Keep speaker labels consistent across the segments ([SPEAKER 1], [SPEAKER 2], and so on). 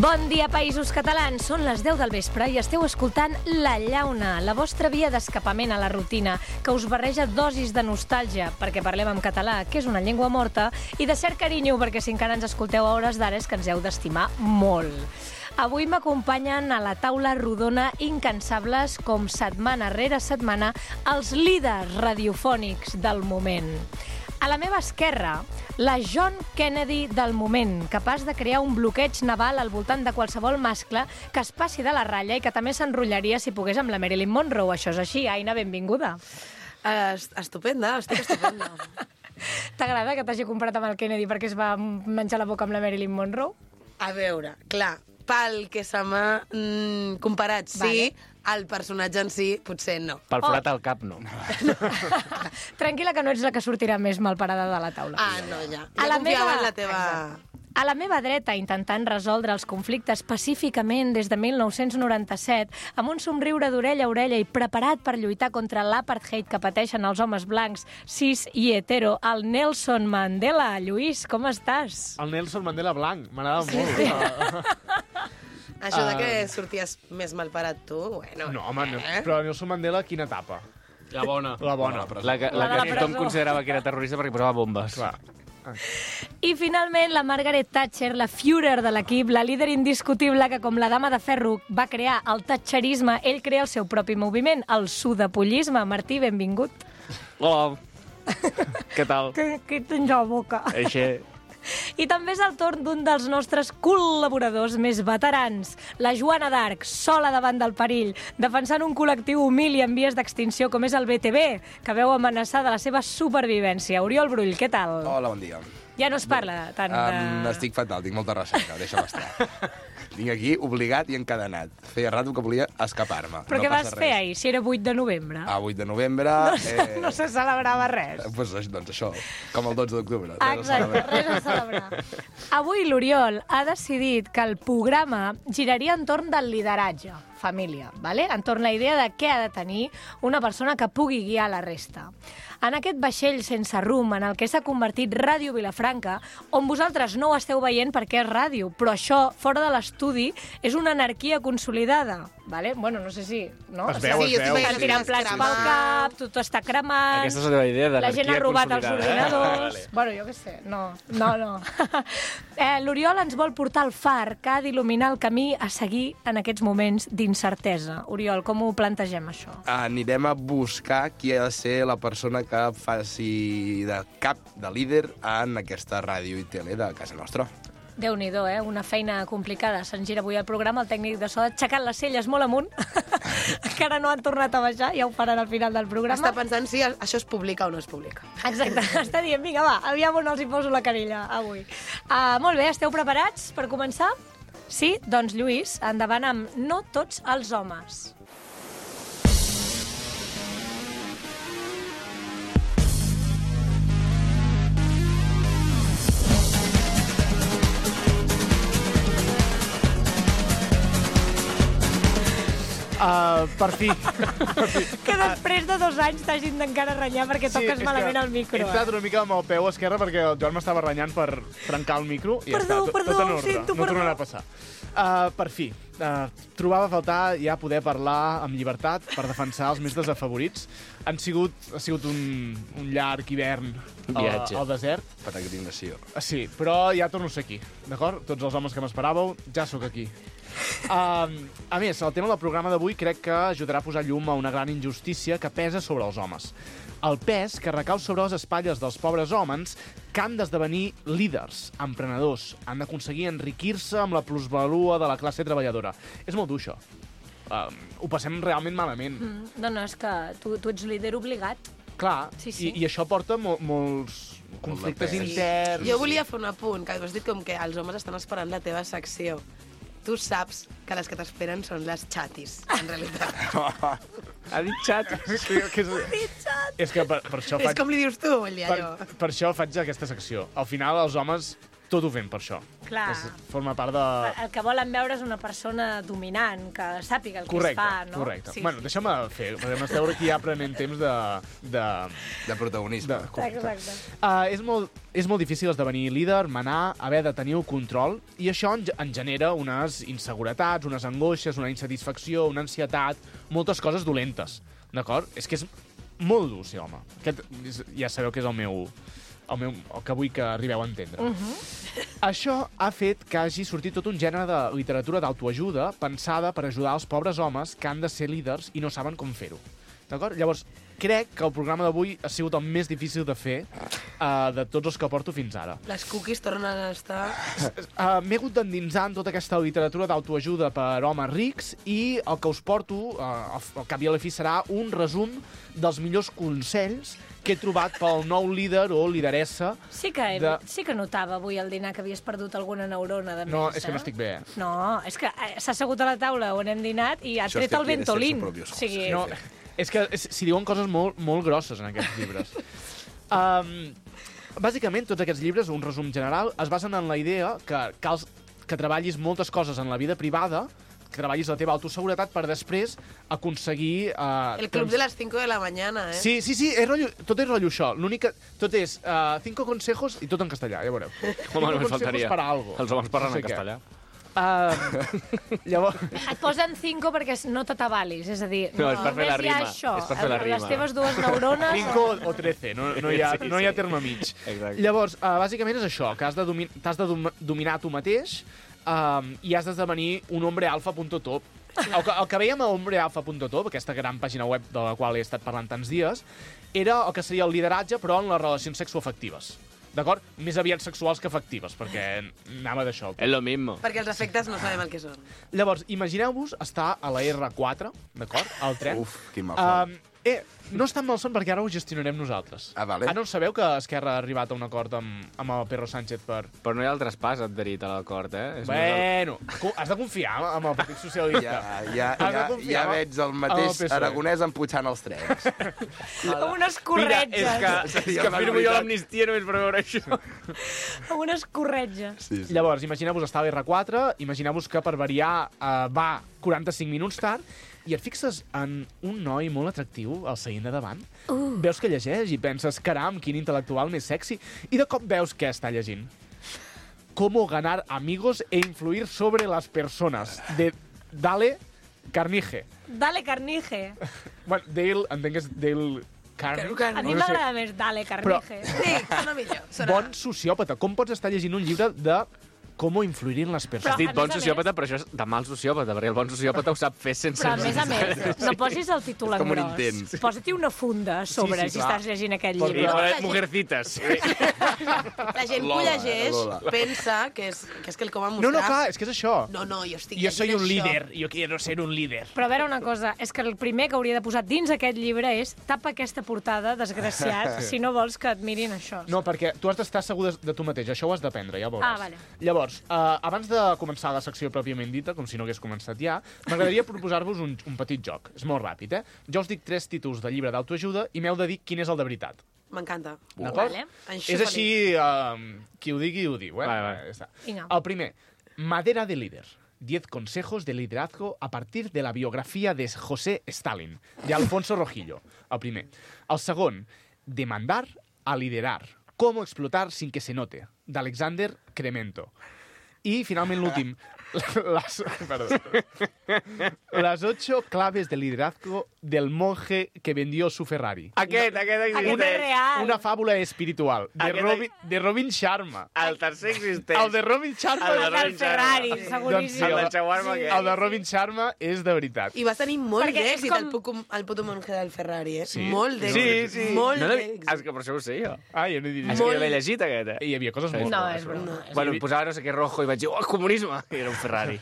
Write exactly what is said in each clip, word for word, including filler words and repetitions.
[SPEAKER 1] Bon dia, països catalans. Són les deu del vespre i esteu escoltant La Llauna, la vostra via d'escapament a la rutina, que us barreja dosis de nostàlgia, perquè parlem en català, que és una llengua morta, i de cert carinyo, perquè si encara ens escolteu a hores d'ara és que ens heu d'estimar molt. Avui m'acompanyen a la taula rodona incansables, com setmana rere setmana, els líders radiofònics del moment. A la meva esquerra, la John Kennedy del moment, capaç de crear un bloqueig naval al voltant de qualsevol mascle que es passi de la ratlla i que també s'enrotllaria si pogués amb la Marilyn Monroe. Això és així. Aina, benvinguda.
[SPEAKER 2] Uh, estupenda, estic estupenda.
[SPEAKER 1] T'agrada que t'hagi comprat amb el Kennedy perquè es va menjar la boca amb la Marilyn Monroe?
[SPEAKER 2] A veure, clar, pel que se m'ha mm, comparat, sí, vale. El personatge en si, potser no.
[SPEAKER 3] Pel forat al cap, no.
[SPEAKER 1] Tranquil·la, que no ets la que sortirà més malparada de la taula.
[SPEAKER 2] Ah, no, ja.
[SPEAKER 1] A
[SPEAKER 2] Ja
[SPEAKER 1] la
[SPEAKER 2] confiava
[SPEAKER 1] meva...
[SPEAKER 2] en la teva...
[SPEAKER 1] Exacte. A la meva dreta, intentant resoldre els conflictes pacíficament des de mil nou-cents noranta-set, amb un somriure d'orella a orella i preparat per lluitar contra l'apartheid que pateixen els homes blancs, cis i hetero, el Nelson Mandela. Lluís, com estàs?
[SPEAKER 3] El Nelson Mandela blanc, m'agrada sí, molt. Sí.
[SPEAKER 2] Això de que sorties més malparat tu, bueno...
[SPEAKER 3] No, home,
[SPEAKER 2] eh?
[SPEAKER 3] però Nelson Mandela, quina etapa?
[SPEAKER 4] La bona.
[SPEAKER 3] La bona.
[SPEAKER 4] La que, la
[SPEAKER 1] La
[SPEAKER 4] que
[SPEAKER 1] de la
[SPEAKER 4] tothom
[SPEAKER 1] presó.
[SPEAKER 4] considerava que era terrorista perquè posava bombes.
[SPEAKER 3] Clar.
[SPEAKER 1] I finalment la Margaret Thatcher, la Führer de l'equip, la líder indiscutible que, com la dama de ferro, va crear el thatcherisme, ell crea el seu propi moviment, el sudapollisme. Martí, benvingut.
[SPEAKER 4] Hola. Què tal?
[SPEAKER 1] Que, que tens a la boca.
[SPEAKER 4] Eixe...
[SPEAKER 1] I també és el torn d'un dels nostres col·laboradors més veterans, la Joana d'Arc, sola davant del perill, defensant un col·lectiu humil i en vies d'extinció com és el B T V, que veu amenaçada la seva supervivència. Oriol Brull, què tal?
[SPEAKER 5] Hola, bon dia.
[SPEAKER 1] Ja no es parla tant de...
[SPEAKER 5] Um, estic fatal, tinc molta ressaca, deixa'm estar. Vinc aquí obligat i encadenat. Feia rato que volia escapar-me.
[SPEAKER 1] Però
[SPEAKER 5] no
[SPEAKER 1] què vas
[SPEAKER 5] passa
[SPEAKER 1] fer
[SPEAKER 5] res.
[SPEAKER 1] ahir, si era vuit de novembre?
[SPEAKER 5] A vuit de novembre...
[SPEAKER 1] No,
[SPEAKER 5] eh,
[SPEAKER 1] no se celebrava res.
[SPEAKER 5] Pues, doncs això, com el dotze d'octubre.
[SPEAKER 1] Ah, exacte, res a celebrar. Avui l'Oriol ha decidit que el programa giraria entorn del lideratge, família, ¿vale? Entorn la idea de què ha de tenir una persona que pugui guiar la resta. En aquest vaixell sense rumb en el que s'ha convertit Ràdio Vilafranca, on vosaltres no ho esteu veient perquè és ràdio, però això, fora de l'estudi, és una anarquia consolidada. ¿Vale? Bueno, no sé si... No?
[SPEAKER 3] Es veu,
[SPEAKER 2] Sí,
[SPEAKER 3] es
[SPEAKER 2] jo
[SPEAKER 3] veu.
[SPEAKER 2] t'imagino
[SPEAKER 1] Estan tirant plats pel cap, tot està cremant...
[SPEAKER 4] Aquesta és la teva idea
[SPEAKER 1] La gent
[SPEAKER 4] d'anarquia
[SPEAKER 1] ha robat els
[SPEAKER 4] consolidada, eh?
[SPEAKER 1] ordinadors...
[SPEAKER 4] Vale.
[SPEAKER 1] Bueno, jo què sé, no, no, no. eh, L'Oriol ens vol portar al far que ha d'il·luminar el camí a seguir en aquests moments d'incertesa. Oriol, com ho plantegem, això?
[SPEAKER 5] Anirem a buscar qui ha de ser la persona que faci de cap, de líder, en aquesta ràdio i tele de casa nostra.
[SPEAKER 1] Déu-n'hi-do, eh? Una feina complicada. Se'n gira avui el programa, el tècnic de so aixecant les celles molt amunt. Encara no han tornat a baixar, ja ho faran al final del programa.
[SPEAKER 2] Està pensant si això es publica o no es publica.
[SPEAKER 1] Exacte, està dient, vinga, va, aviam on els hi poso la canilla avui. Uh, molt bé, esteu preparats per començar? Sí? Doncs, Lluís, endavant amb No tots els homes.
[SPEAKER 3] Uh, per fi. per fi.
[SPEAKER 1] Que després de dos anys t'hagin d'encara renyar perquè sí, toques malament el micro.
[SPEAKER 3] He entrat una mica amb el peu esquerre perquè el Joan m'estava renyant per trencar el micro i
[SPEAKER 1] Perdó,
[SPEAKER 3] ja està, tot,
[SPEAKER 1] perdó,
[SPEAKER 3] tot en ordre.
[SPEAKER 1] sento,
[SPEAKER 3] no
[SPEAKER 1] perdó.
[SPEAKER 3] tornarà a passar. Uh, per fi. Uh, trobava a faltar ja poder parlar amb llibertat per defensar els més desafavorits. Han sigut, ha sigut un, un llarg hivern
[SPEAKER 4] Un viatge.
[SPEAKER 3] al, al desert.
[SPEAKER 5] Peregrinació.
[SPEAKER 3] Uh, sí, però ja torno a ser aquí, d'acord? Tots els homes que m'esperàveu, ja sóc aquí. Uh, a més, el tema del programa d'avui crec que ajudarà a posar llum a una gran injustícia que pesa sobre els homes. El pes que recau sobre les espatlles dels pobres homes que han d'esdevenir líders, emprenedors, han d'aconseguir enriquir-se amb la plusvalua de la classe treballadora. És molt dur, això. Uh, ho passem realment malament.
[SPEAKER 1] Mm, no, no, és que tu, tu ets líder obligat.
[SPEAKER 3] Clar,
[SPEAKER 1] Sí, sí.
[SPEAKER 3] I, i això porta mo molts conflictes
[SPEAKER 5] pes.
[SPEAKER 3] interns.
[SPEAKER 2] Jo volia fer un apunt, que has dit com que els homes estan esperant la teva secció. Tu saps que les que t'esperen són les xatis, en realitat.
[SPEAKER 4] Ha dit xat.
[SPEAKER 3] que, que és, és que per, per això
[SPEAKER 2] És
[SPEAKER 3] faig...
[SPEAKER 2] com li dius tu, vull dir,
[SPEAKER 3] Per,
[SPEAKER 2] allò.
[SPEAKER 3] per això faig aquesta secció. Al final, els homes tot ho fem per això.
[SPEAKER 1] Clar.
[SPEAKER 3] És, forma part de...
[SPEAKER 1] El que volen veure és una persona dominant, que sàpiga el
[SPEAKER 3] Correcte,
[SPEAKER 1] que es fa, no?
[SPEAKER 3] correcte.
[SPEAKER 2] Sí,
[SPEAKER 3] Bueno,
[SPEAKER 2] sí.
[SPEAKER 3] deixa'm fer, perquè m'esteu aquí ja prenent temps de... de,
[SPEAKER 5] De protagonisme.
[SPEAKER 3] de
[SPEAKER 1] Exacte.
[SPEAKER 3] Uh, és, molt, és molt difícil esdevenir líder, manar, haver de tenir el control, i això en, en genera unes inseguretats, unes angoixes, una insatisfacció, una ansietat, moltes coses dolentes, d'acord? És que és molt dur ser home. Aquest, és, ja sabeu que és el meu... El, meu, el que vull que arribeu a entendre. Uh -huh. Això ha fet que hagi sortit tot un gènere de literatura d'autoajuda pensada per ajudar els pobres homes que han de ser líders i no saben com fer-ho. D'acord? Llavors, crec que el programa d'avui ha sigut el més difícil de fer uh, de tots els que porto fins ara.
[SPEAKER 2] Les cookies tornen a estar...
[SPEAKER 3] Uh, M'he hagut d'endinsar en tota aquesta literatura d'autoajuda per homes rics i el que us porto, uh, al cap i a la fi, serà un resum dels millors consells que he trobat pel nou líder o lideressa.
[SPEAKER 1] Sí que, he,
[SPEAKER 3] De-
[SPEAKER 1] sí que notava avui al dinar que havies perdut alguna neurona de més,
[SPEAKER 3] No, és que
[SPEAKER 1] eh?
[SPEAKER 3] no estic bé.
[SPEAKER 1] No, és que eh, s'ha assegut a la taula on hem dinat i ha
[SPEAKER 5] Això
[SPEAKER 1] tret
[SPEAKER 5] és
[SPEAKER 1] el
[SPEAKER 5] que tiene
[SPEAKER 1] ventolín.
[SPEAKER 5] sexo propio,
[SPEAKER 1] O sigui,
[SPEAKER 3] No, és que és, s'hi diuen coses molt, molt grosses en aquests llibres. Um, bàsicament, tots aquests llibres, un resum general, es basen en la idea que cal que treballis moltes coses en la vida privada, que treballis la teva autoseguretat per després aconseguir... Uh,
[SPEAKER 2] El club de las cinco de la mañana, eh?
[SPEAKER 3] Sí, sí, sí, és rotllo, tot és rotllo això. L'únic que... Tot és uh, cinco consejos i tot en castellà, ja veureu.
[SPEAKER 4] Home,
[SPEAKER 3] Cinco
[SPEAKER 4] només
[SPEAKER 3] consejos
[SPEAKER 4] faltaria.
[SPEAKER 3] para algo.
[SPEAKER 4] Els homes parlen
[SPEAKER 3] No sé
[SPEAKER 4] en
[SPEAKER 3] què.
[SPEAKER 4] castellà.
[SPEAKER 3] Uh, llavors...
[SPEAKER 1] et posen cinco perquè no t'atabalis, és a dir,
[SPEAKER 4] No, és per fer la
[SPEAKER 1] només hi ha
[SPEAKER 4] rima,
[SPEAKER 1] això.
[SPEAKER 4] és per fer la rima.
[SPEAKER 1] Les teves dues neurones...
[SPEAKER 3] cinco o trece, no, no, hi ha,
[SPEAKER 4] Sí,
[SPEAKER 3] no hi ha
[SPEAKER 4] sí.
[SPEAKER 3] terme mig.
[SPEAKER 4] Exacte.
[SPEAKER 3] Llavors, uh, bàsicament és això, que has de, domi t'has de dom dominar tu mateix um, i has d'esdevenir un hombre alfa punt top. El que, el que veiem a hombrealfa punt top, aquesta gran pàgina web de la qual he estat parlant tants dies, era el que seria el lideratge, però en les relacions sexoafectives. D'acord? Més aviat sexuals que afectives, perquè anava d'això.
[SPEAKER 4] És lo mismo.
[SPEAKER 2] Perquè els efectes no sabem el que són.
[SPEAKER 3] Llavors, imagineu-vos estar a la erre quatre, d'acord? Al tren.
[SPEAKER 5] Uf, quin malson.
[SPEAKER 3] Um, eh, no és tan malson perquè ara ho gestionarem nosaltres.
[SPEAKER 5] Ah, vale.
[SPEAKER 3] Ah, no sabeu que Esquerra ha arribat a un acord amb, amb el Pedro Sánchez per...
[SPEAKER 4] Però no hi ha el traspàs adherit a l'acord, eh? És
[SPEAKER 3] Bueno, co- has de confiar amb el Partit Socialista.
[SPEAKER 5] Ja, ja,
[SPEAKER 3] Has de
[SPEAKER 5] ja,
[SPEAKER 3] confiar
[SPEAKER 5] ja
[SPEAKER 3] amb-
[SPEAKER 5] veig el
[SPEAKER 3] amb el
[SPEAKER 5] mateix
[SPEAKER 3] P S O E.
[SPEAKER 5] Aragonès empujant els trens.
[SPEAKER 1] Amb unes
[SPEAKER 4] Mira,
[SPEAKER 1] corretges.
[SPEAKER 4] és que, és que firmo jo l'amnistia només per veure això.
[SPEAKER 1] Amb unes corretges.
[SPEAKER 5] Sí, sí.
[SPEAKER 3] Llavors, imagineu-vos estar a l'erre quatre, imagineu-vos que per variar uh, va quaranta-cinc minuts tard, i et fixes en un noi molt atractiu al seient de davant, uh. veus que llegeix i penses, caram, quin intel·lectual més sexy, i de cop veus què està llegint. Cómo ganar amigos e influir sobre las personas, de Dale Carnegie.
[SPEAKER 1] Dale Carnegie.
[SPEAKER 3] Bueno, Dale, entenc que és Dale Carnegie.
[SPEAKER 2] Car-
[SPEAKER 1] A mi
[SPEAKER 3] No sé.
[SPEAKER 1] m'agrada més Dale Carnegie.
[SPEAKER 2] Sí, sona millor. Sona...
[SPEAKER 3] Bon sociòpata. Com pots estar llegint un llibre de cómo influir en les
[SPEAKER 4] Has
[SPEAKER 3] persones?
[SPEAKER 4] dit
[SPEAKER 1] a
[SPEAKER 4] bon
[SPEAKER 1] més a
[SPEAKER 4] sociòpata, però això és de mal sociòpata, perquè el bon sociòpata ho sap fer sense...
[SPEAKER 1] Però, a més a més, no posis el títol en
[SPEAKER 5] Com un
[SPEAKER 1] gros.
[SPEAKER 5] intent.
[SPEAKER 1] Posa-t'hi una funda a sobre
[SPEAKER 3] Sí, sí,
[SPEAKER 1] si
[SPEAKER 3] clar.
[SPEAKER 1] estàs llegint aquest
[SPEAKER 3] Perquè-
[SPEAKER 4] I
[SPEAKER 1] llibre.
[SPEAKER 4] no, Mujercitas.
[SPEAKER 2] La gent que ho
[SPEAKER 5] Lola,
[SPEAKER 2] llegeix
[SPEAKER 5] Lola.
[SPEAKER 2] pensa que és, que és que el com a
[SPEAKER 3] No,
[SPEAKER 2] mostrar...
[SPEAKER 3] no, clar, és que és això.
[SPEAKER 2] No, no, jo estic
[SPEAKER 3] Jo soy
[SPEAKER 2] llegint
[SPEAKER 3] un
[SPEAKER 2] això.
[SPEAKER 3] líder, yo quiero ser un líder.
[SPEAKER 1] Però a veure una cosa, és que el primer que hauria de posar dins aquest llibre és tapa aquesta portada, desgraciat, si no vols que et mirin això.
[SPEAKER 3] No, perquè tu has d'estar segur de, de tu mateix, això ho has d'aprendre, ja ho veuràs.
[SPEAKER 1] Ah, vale.
[SPEAKER 3] Llavors, uh, abans de començar la secció pròpiament dita, com si no hagués començat ja, m'agradaria proposar-vos un, un petit joc. És molt ràpid, eh? Jo us dic tres títols de llibre d'autoajuda i m'heu de dir quin és el de veritat.
[SPEAKER 2] M'encanta.
[SPEAKER 3] D'acord?
[SPEAKER 1] Vale.
[SPEAKER 2] Enxufa-li.
[SPEAKER 3] És així, uh, qui ho digui, ho diu, eh?
[SPEAKER 4] Vale, vale.
[SPEAKER 3] Ja està.
[SPEAKER 1] Vinga.
[SPEAKER 3] El primer, Madera de líder. diez consejos de liderazgo a partir de la biografía de José Stalin, de Alfonso Rojillo. El primer. El segon, de mandar a liderar. Cómo explotar sin que se note, d'Alexander Cremento. I, finalment, l'últim. Les, perdó. Las ocho claves de liderazgo del monje que vendió su Ferrari.
[SPEAKER 4] Aquest, aquest
[SPEAKER 1] Aquest
[SPEAKER 4] existeix.
[SPEAKER 1] és real.
[SPEAKER 3] Una fàbula espiritual de
[SPEAKER 4] Aquest-
[SPEAKER 3] Robin, de Robin Sharma.
[SPEAKER 4] El tercer existeix.
[SPEAKER 3] El de Robin Sharma...
[SPEAKER 4] El de
[SPEAKER 1] El del
[SPEAKER 4] Robin
[SPEAKER 1] Ferrari,
[SPEAKER 4] Sharma.
[SPEAKER 1] seguríssim.
[SPEAKER 4] El del shawarma, aquest.
[SPEAKER 3] El de Robin Sharma és de veritat.
[SPEAKER 2] I vas tenir molt
[SPEAKER 1] Perquè és
[SPEAKER 2] d'èxit
[SPEAKER 1] com-
[SPEAKER 2] el, puto, el puto monje del Ferrari, eh?
[SPEAKER 3] Sí?
[SPEAKER 2] Molt d'èxit.
[SPEAKER 4] Sí, sí.
[SPEAKER 2] Molt
[SPEAKER 4] No l'he-
[SPEAKER 2] d'èxit.
[SPEAKER 4] És que per això ho sé jo.
[SPEAKER 3] Ah, jo no he dit
[SPEAKER 4] És
[SPEAKER 3] res.
[SPEAKER 4] que jo l'he llegit, aquest, eh?
[SPEAKER 3] Hi havia coses molt...
[SPEAKER 1] No,
[SPEAKER 3] bones,
[SPEAKER 1] és
[SPEAKER 3] però-
[SPEAKER 1] broma. és
[SPEAKER 4] Bueno, em posava no sé què rojo i vaig dir, oh, comunisme! I era un Ferrari.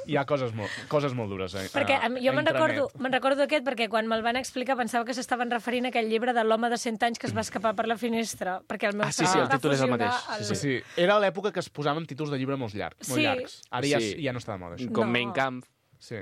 [SPEAKER 3] Hi ha coses molt, coses molt dures. Eh?
[SPEAKER 1] Perquè
[SPEAKER 3] a-
[SPEAKER 1] a mi- jo
[SPEAKER 3] a
[SPEAKER 1] me'n
[SPEAKER 3] intranet.
[SPEAKER 1] recordo, me'n recordo aquest perquè quan me'l van explicar pensava que s'estaven referint a aquell llibre de l'home de cent anys que es va escapar per la finestra, perquè el meu
[SPEAKER 4] Ah, sí,
[SPEAKER 1] cervell
[SPEAKER 4] sí, el
[SPEAKER 1] va
[SPEAKER 4] títol és el
[SPEAKER 1] fusionar
[SPEAKER 4] mateix.
[SPEAKER 1] el-
[SPEAKER 3] Sí, sí. Era l'època que es posaven títols de llibre molt llargs. Molt
[SPEAKER 1] Sí.
[SPEAKER 3] llargs. Ara ja,
[SPEAKER 4] Sí.
[SPEAKER 3] ja no està de moda, això.
[SPEAKER 4] Com
[SPEAKER 1] No.
[SPEAKER 4] Mein Kampf.
[SPEAKER 3] Sí.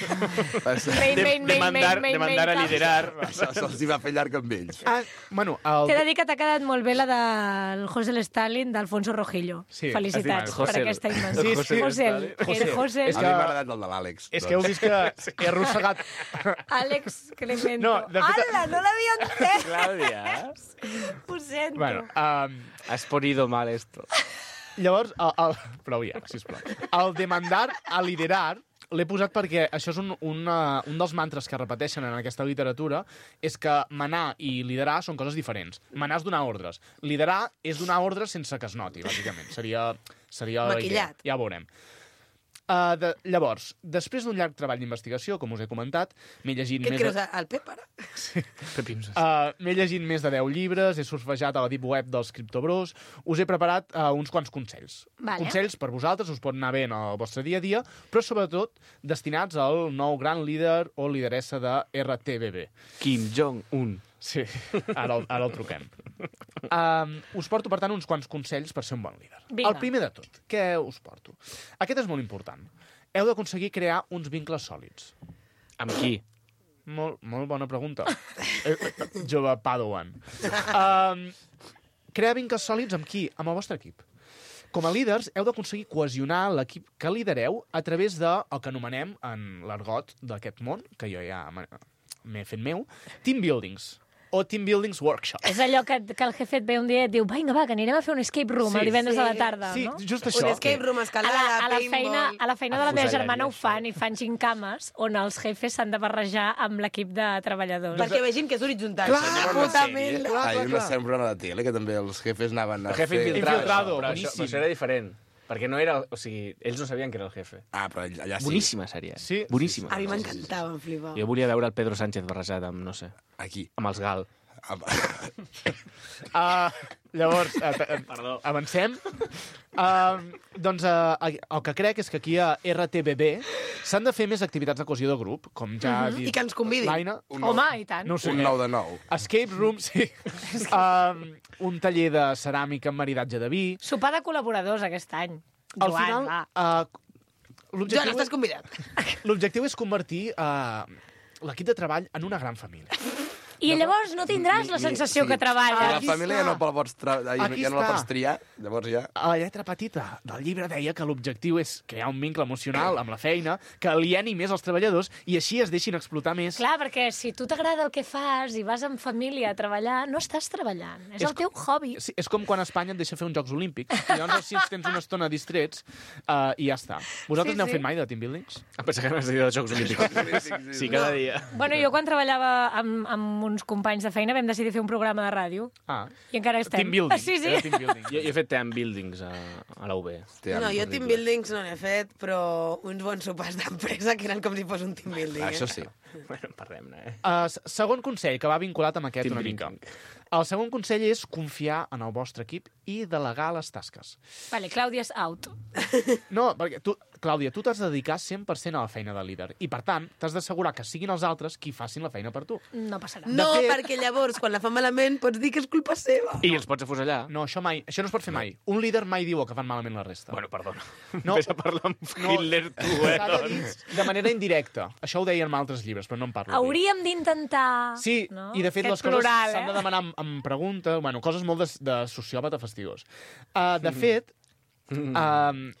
[SPEAKER 1] Main, main, main,
[SPEAKER 4] Demandar,
[SPEAKER 1] main,
[SPEAKER 4] demandar a
[SPEAKER 1] main,
[SPEAKER 4] liderar.
[SPEAKER 5] Se'ls hi va fer llarg amb ells.
[SPEAKER 3] Ah, bueno, el...
[SPEAKER 1] T'he de dir que t'ha quedat molt bé la del José Stalin d'Alfonso Rojillo.
[SPEAKER 3] Sí,
[SPEAKER 1] Felicitats
[SPEAKER 4] has dit,
[SPEAKER 1] per
[SPEAKER 4] José-
[SPEAKER 1] aquesta invenció.
[SPEAKER 3] Sí, sí.
[SPEAKER 1] José, que
[SPEAKER 3] José.
[SPEAKER 1] era José.
[SPEAKER 3] És
[SPEAKER 5] A
[SPEAKER 3] que-
[SPEAKER 5] mi m'ha agradat el de l'Àlex.
[SPEAKER 3] És que heu vist que he arrossegat...
[SPEAKER 1] Àlex Clemento.
[SPEAKER 3] No, de fet-
[SPEAKER 1] Ala, no l'havia entès.
[SPEAKER 4] Clàudia,
[SPEAKER 1] Ho sento.
[SPEAKER 3] Bueno, um,
[SPEAKER 4] has ponido mal esto.
[SPEAKER 3] llavors, el, el... prou ja, sisplau. El demandar a liderar l'he posat perquè això és un, una, un dels mantres que repeteixen en aquesta literatura, és que manar i liderar són coses diferents. Manar és donar ordres. Liderar és donar ordres sense que es noti, bàsicament. Seria, seria la idea.
[SPEAKER 2] Maquillat.
[SPEAKER 3] Ja ho veurem. Uh, de, llavors, després d'un llarg treball d'investigació, com us he comentat, m'he llegit
[SPEAKER 2] Què et
[SPEAKER 3] més...
[SPEAKER 2] creus,
[SPEAKER 3] de-
[SPEAKER 2] el Pep, ara?
[SPEAKER 4] Pepimses.
[SPEAKER 3] Uh, M'he llegit més de deu llibres, he surfejat a la deep web dels criptobros, us he preparat uh, uns quants consells.
[SPEAKER 1] Vale.
[SPEAKER 3] Consells per vosaltres, us pot anar bé en el vostre dia a dia, però sobretot destinats al nou gran líder o lideressa de R T B B.
[SPEAKER 4] Kim Jong-un.
[SPEAKER 3] Sí, ara el, ara el truquem. Um, us porto, per tant, uns quants consells per ser un bon líder.
[SPEAKER 1] Vinga.
[SPEAKER 3] El primer de tot, què us porto? Aquest és molt important. Heu d'aconseguir crear uns vincles sòlids.
[SPEAKER 4] Amb qui?
[SPEAKER 3] Molt, molt bona pregunta. Eh, Jove Padawan. Um, crear vincles sòlids amb qui? Amb el vostre equip. Com a líders, heu d'aconseguir cohesionar l'equip que lidereu a través del que anomenem, en l'argot d'aquest món, que jo ja m'he m'he fet meu, team buildings o team buildings workshop.
[SPEAKER 1] És allò que, que el jefe et ve un dia i et diu vinga, va, que anirem a fer un escape room
[SPEAKER 3] Sí,
[SPEAKER 1] el divendres
[SPEAKER 2] sí.
[SPEAKER 1] a la tarda,
[SPEAKER 3] Sí,
[SPEAKER 1] no?
[SPEAKER 3] just això.
[SPEAKER 2] Un escape room,
[SPEAKER 1] A
[SPEAKER 2] escalada,
[SPEAKER 1] la, a, la
[SPEAKER 2] paintball...
[SPEAKER 1] feina, a la feina de la meva
[SPEAKER 4] Afuselleria,
[SPEAKER 1] germana ho
[SPEAKER 4] això.
[SPEAKER 1] fan i fan gincames on els jefes s'han de barrejar amb l'equip de treballadors.
[SPEAKER 2] Perquè vegin que és horitzontal.
[SPEAKER 3] Clar,
[SPEAKER 2] Senyor,
[SPEAKER 3] clar,
[SPEAKER 2] puta
[SPEAKER 3] sí.
[SPEAKER 2] mel.
[SPEAKER 3] Clar,
[SPEAKER 5] Hi ha
[SPEAKER 3] clar,
[SPEAKER 5] una
[SPEAKER 3] clar.
[SPEAKER 5] sembra de tele que també els jefes anaven a
[SPEAKER 4] El jefe
[SPEAKER 5] fer...
[SPEAKER 4] infiltrado.
[SPEAKER 3] Infiltrado,
[SPEAKER 4] però, això,
[SPEAKER 3] boníssim.
[SPEAKER 4] però això era diferent. Perquè no era... O sigui, ells no sabien que era el jefe.
[SPEAKER 5] Ah, però allà sí.
[SPEAKER 4] Boníssima sèrie.
[SPEAKER 3] Sí.
[SPEAKER 4] Boníssima.
[SPEAKER 2] A mi m'encantava, em flipava.
[SPEAKER 4] Jo volia veure el Pedro Sánchez barrejat amb, no sé,
[SPEAKER 5] Aquí.
[SPEAKER 4] amb els Gal.
[SPEAKER 5] Ah,
[SPEAKER 3] Uh, llavors, uh, uh,
[SPEAKER 4] Perdó.
[SPEAKER 3] avancem. Uh, doncs uh, el que crec és que aquí a R T B B s'han de fer més activitats de cohesió de grup, com ja ha dit
[SPEAKER 2] I que ens convidin.
[SPEAKER 3] l'Aina.
[SPEAKER 5] un
[SPEAKER 1] Home, i tant.
[SPEAKER 3] No ho sé.
[SPEAKER 5] Un nou de nou.
[SPEAKER 3] Escape room, sí. um, un taller de ceràmica amb maridatge de vi.
[SPEAKER 1] Sopar de col·laboradors aquest any.
[SPEAKER 3] Al
[SPEAKER 1] Joan,
[SPEAKER 3] final,
[SPEAKER 1] va.
[SPEAKER 3] uh,
[SPEAKER 2] Joan,
[SPEAKER 3] l'objectiu
[SPEAKER 2] estàs convidat.
[SPEAKER 3] l'objectiu és convertir uh, l'equip de treball en una gran família.
[SPEAKER 1] I llavors no tindràs la
[SPEAKER 5] Ni-
[SPEAKER 1] sensació
[SPEAKER 5] sí.
[SPEAKER 1] que treballes.
[SPEAKER 3] Aquí
[SPEAKER 5] La família ja
[SPEAKER 3] està.
[SPEAKER 5] no, la pots tra... ja
[SPEAKER 3] Aquí
[SPEAKER 5] no la
[SPEAKER 3] està.
[SPEAKER 5] pots triar, llavors ja...
[SPEAKER 3] A la lletra petita del llibre deia que l'objectiu és crear un vincle emocional amb la feina, que alieni més els treballadors i així es deixin explotar més.
[SPEAKER 1] Clar, perquè si tu t'agrada el que fas i vas en família a treballar, no estàs treballant. És,
[SPEAKER 3] És
[SPEAKER 1] el teu hobby.
[SPEAKER 3] Sí, és com quan Espanya et deixa fer uns Jocs Olímpics. I llavors així ens tens una estona distrets uh, i ja està. Vosaltres
[SPEAKER 1] Sí,
[SPEAKER 3] n'heu
[SPEAKER 1] sí.
[SPEAKER 3] fet mai de team buildings?
[SPEAKER 4] Em pensava que anaves a dir dels Jocs Olímpics. Sí, cada dia.
[SPEAKER 1] Bueno, jo quan treballava amb, amb uns companys de feina vam decidir fer un programa de ràdio
[SPEAKER 3] Ah,
[SPEAKER 1] i encara estem.
[SPEAKER 3] team building.
[SPEAKER 1] Sí, sí.
[SPEAKER 3] Era team building.
[SPEAKER 4] Jo, jo he fet team buildings a, a la U B.
[SPEAKER 5] Hòstia,
[SPEAKER 2] No, jo
[SPEAKER 5] horrible.
[SPEAKER 2] team buildings no n'he fet, però uns bons sopars d'empresa que eren com si fos un team building.
[SPEAKER 5] Ah, això
[SPEAKER 2] eh?
[SPEAKER 5] sí.
[SPEAKER 4] Bueno, parlem-ne, eh?
[SPEAKER 3] Uh, s- segon consell, que va vinculat amb aquest
[SPEAKER 4] Team
[SPEAKER 3] una mica.
[SPEAKER 4] building.
[SPEAKER 3] El segon consell és confiar en el vostre equip i delegar les tasques.
[SPEAKER 1] Vale, Clàudia és out.
[SPEAKER 3] No, perquè tu, Clàudia, tu t'has de dedicar cent per cent a la feina de líder i, per tant, t'has d'assegurar que siguin els altres qui facin la feina per tu.
[SPEAKER 1] No passarà.
[SPEAKER 2] No,
[SPEAKER 3] De fet-
[SPEAKER 2] perquè llavors, quan la fan malament, pots dir que és culpa seva.
[SPEAKER 4] I els pots afusellar?
[SPEAKER 3] No, això mai, això no es pot fer mai. Un líder mai diu el que fan malament la resta.
[SPEAKER 4] Bueno, perdona.
[SPEAKER 3] No.
[SPEAKER 4] Ves a parlar amb Hitler, tu, eh?
[SPEAKER 3] S'ha de dir de manera indirecta. Això ho deien en altres llibres, però no en parlo. aquí.
[SPEAKER 1] Hauríem d'intentar...
[SPEAKER 3] Sí,
[SPEAKER 1] no?
[SPEAKER 3] i de fet
[SPEAKER 1] Aquest
[SPEAKER 3] les coses
[SPEAKER 1] plural,
[SPEAKER 3] s'han de
[SPEAKER 1] eh?
[SPEAKER 3] demanar amb, amb pregunta, bueno, coses molt de, de sociòpata fastigós. Uh, de fet, uh,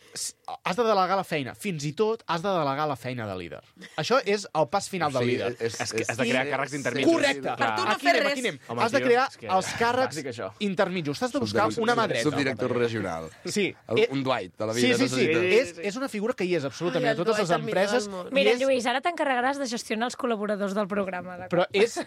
[SPEAKER 3] has de delegar la feina. Fins i tot has de delegar la feina de líder. Això és el pas final del líder.
[SPEAKER 5] és,
[SPEAKER 4] És que has de crear càrrecs intermedis.
[SPEAKER 3] Correcte.
[SPEAKER 2] Per tu no
[SPEAKER 3] Aquí
[SPEAKER 2] fer
[SPEAKER 3] anem,
[SPEAKER 2] res.
[SPEAKER 3] aquí anem.
[SPEAKER 4] Home,
[SPEAKER 3] Has de
[SPEAKER 4] tio,
[SPEAKER 3] crear
[SPEAKER 4] és que
[SPEAKER 3] els càrrecs
[SPEAKER 4] bàsic, això.
[SPEAKER 3] intermitjos. T'has de buscar una mà dreta.
[SPEAKER 5] Subdirector regional.
[SPEAKER 3] Sí.
[SPEAKER 5] El,
[SPEAKER 3] Eh,
[SPEAKER 5] un Dwight de la
[SPEAKER 3] Sí,
[SPEAKER 5] vida.
[SPEAKER 3] sí, sí.
[SPEAKER 5] necessita.
[SPEAKER 3] És, és una figura que hi és absolutament
[SPEAKER 2] Ai,
[SPEAKER 3] a totes
[SPEAKER 2] el
[SPEAKER 3] les
[SPEAKER 2] Dwight, el millor
[SPEAKER 3] empreses.
[SPEAKER 2] del món.
[SPEAKER 3] i
[SPEAKER 1] Mira,
[SPEAKER 3] és-
[SPEAKER 1] Lluís, ara t'encarregaràs de gestionar els col·laboradors del programa. d'acord?
[SPEAKER 3] Però és,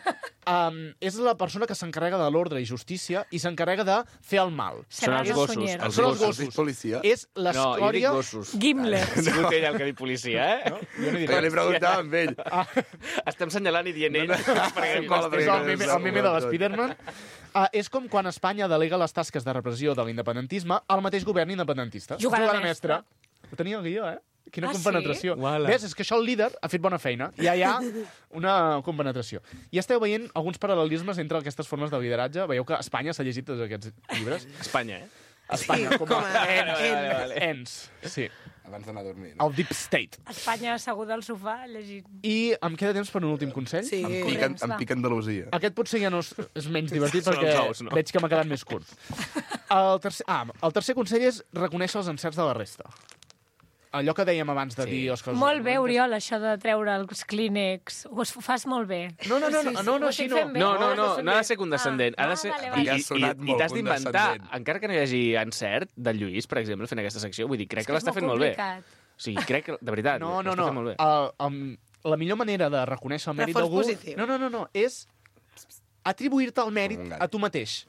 [SPEAKER 3] um, és la persona que s'encarrega de l'ordre i justícia i s'encarrega de fer el mal.
[SPEAKER 4] Són els
[SPEAKER 1] Serrano
[SPEAKER 4] gossos,
[SPEAKER 1] Sunyer.
[SPEAKER 4] els
[SPEAKER 3] Són els
[SPEAKER 5] Has dit
[SPEAKER 3] gossos.
[SPEAKER 5] policia?
[SPEAKER 3] És
[SPEAKER 4] No, jo dic
[SPEAKER 3] l'escòria...
[SPEAKER 4] gossos.
[SPEAKER 1] Gimler.
[SPEAKER 4] Ha sigut ell el que ha dit policia, eh?
[SPEAKER 3] No? Jo no he dit
[SPEAKER 5] Jo li
[SPEAKER 3] res.
[SPEAKER 5] preguntava amb ell.
[SPEAKER 4] Estem senyalant i dient ell.
[SPEAKER 3] No,
[SPEAKER 4] perquè
[SPEAKER 3] és
[SPEAKER 5] cola,
[SPEAKER 3] el meme, el meme de l'Spiderman. Uh, és com quan Espanya delega les tasques de repressió de l'independentisme al mateix govern independentista.
[SPEAKER 1] Jugant a
[SPEAKER 3] Jugant a
[SPEAKER 1] mestre.
[SPEAKER 3] mestre. Ho tenia el guió, eh? Quina
[SPEAKER 1] Ah,
[SPEAKER 3] compenetració.
[SPEAKER 4] sí? Uala.
[SPEAKER 3] Ves, és que això el líder ha fet bona feina. Ja hi ha una compenetració. I esteu veient alguns paral·lelismes entre aquestes formes de lideratge. Veieu que Espanya s'ha llegit tots aquests llibres.
[SPEAKER 4] Espanya, eh?
[SPEAKER 3] Espanya,
[SPEAKER 2] Sí,
[SPEAKER 3] com
[SPEAKER 2] com
[SPEAKER 3] a
[SPEAKER 2] a-
[SPEAKER 3] ens.
[SPEAKER 4] Vale, vale, vale.
[SPEAKER 3] Ens, sí.
[SPEAKER 5] abans d'anar a dormir. No?
[SPEAKER 3] El Deep State.
[SPEAKER 1] Espanya asseguda al sofà llegint.
[SPEAKER 3] I em queda temps per un últim consell?
[SPEAKER 2] Sí.
[SPEAKER 5] Em pica,
[SPEAKER 1] Corrents,
[SPEAKER 5] em
[SPEAKER 1] va.
[SPEAKER 5] pica Andalusia.
[SPEAKER 3] Aquest potser ja no és, és menys divertit
[SPEAKER 4] Són
[SPEAKER 3] perquè
[SPEAKER 4] els ous, no?
[SPEAKER 3] veig que m'ha quedat més curt. El tercer, ah, el tercer consell és reconèixer els encerts de la resta. Allò que dèiem abans de
[SPEAKER 4] Sí.
[SPEAKER 3] dir les coses...
[SPEAKER 1] Molt bé, Oriol, això de treure els clínex. Ho es- fas molt bé.
[SPEAKER 3] No, no, no, no, no, no,
[SPEAKER 1] ho
[SPEAKER 3] així
[SPEAKER 1] estic
[SPEAKER 3] no.
[SPEAKER 1] fent bé.
[SPEAKER 4] No, no,
[SPEAKER 1] Ho
[SPEAKER 4] no,
[SPEAKER 1] estàs fent
[SPEAKER 4] no ha de
[SPEAKER 1] bé.
[SPEAKER 4] ser condescendent.
[SPEAKER 1] Ah,
[SPEAKER 4] Ha de ser...
[SPEAKER 1] vale,
[SPEAKER 4] I,
[SPEAKER 1] vale.
[SPEAKER 5] Ha
[SPEAKER 4] i,
[SPEAKER 5] sonat
[SPEAKER 4] i, i
[SPEAKER 5] molt
[SPEAKER 4] t'has d'inventar,
[SPEAKER 5] condescendent.
[SPEAKER 4] encara que no hi hagi encert del Lluís, per exemple, fent aquesta secció, vull dir, crec
[SPEAKER 1] És
[SPEAKER 4] que l'està
[SPEAKER 1] és
[SPEAKER 4] fent molt bé.
[SPEAKER 1] complicat.
[SPEAKER 4] O sigui, crec que, de veritat,
[SPEAKER 3] No, no,
[SPEAKER 4] l'està
[SPEAKER 3] no.
[SPEAKER 4] fent molt bé.
[SPEAKER 3] El, el, la millor manera de reconèixer el mèrit
[SPEAKER 2] Reforç
[SPEAKER 3] d'algú...
[SPEAKER 2] positiu.
[SPEAKER 3] No, no, no, no, és atribuir-te el mèrit
[SPEAKER 5] Com un gat.
[SPEAKER 3] a tu mateix.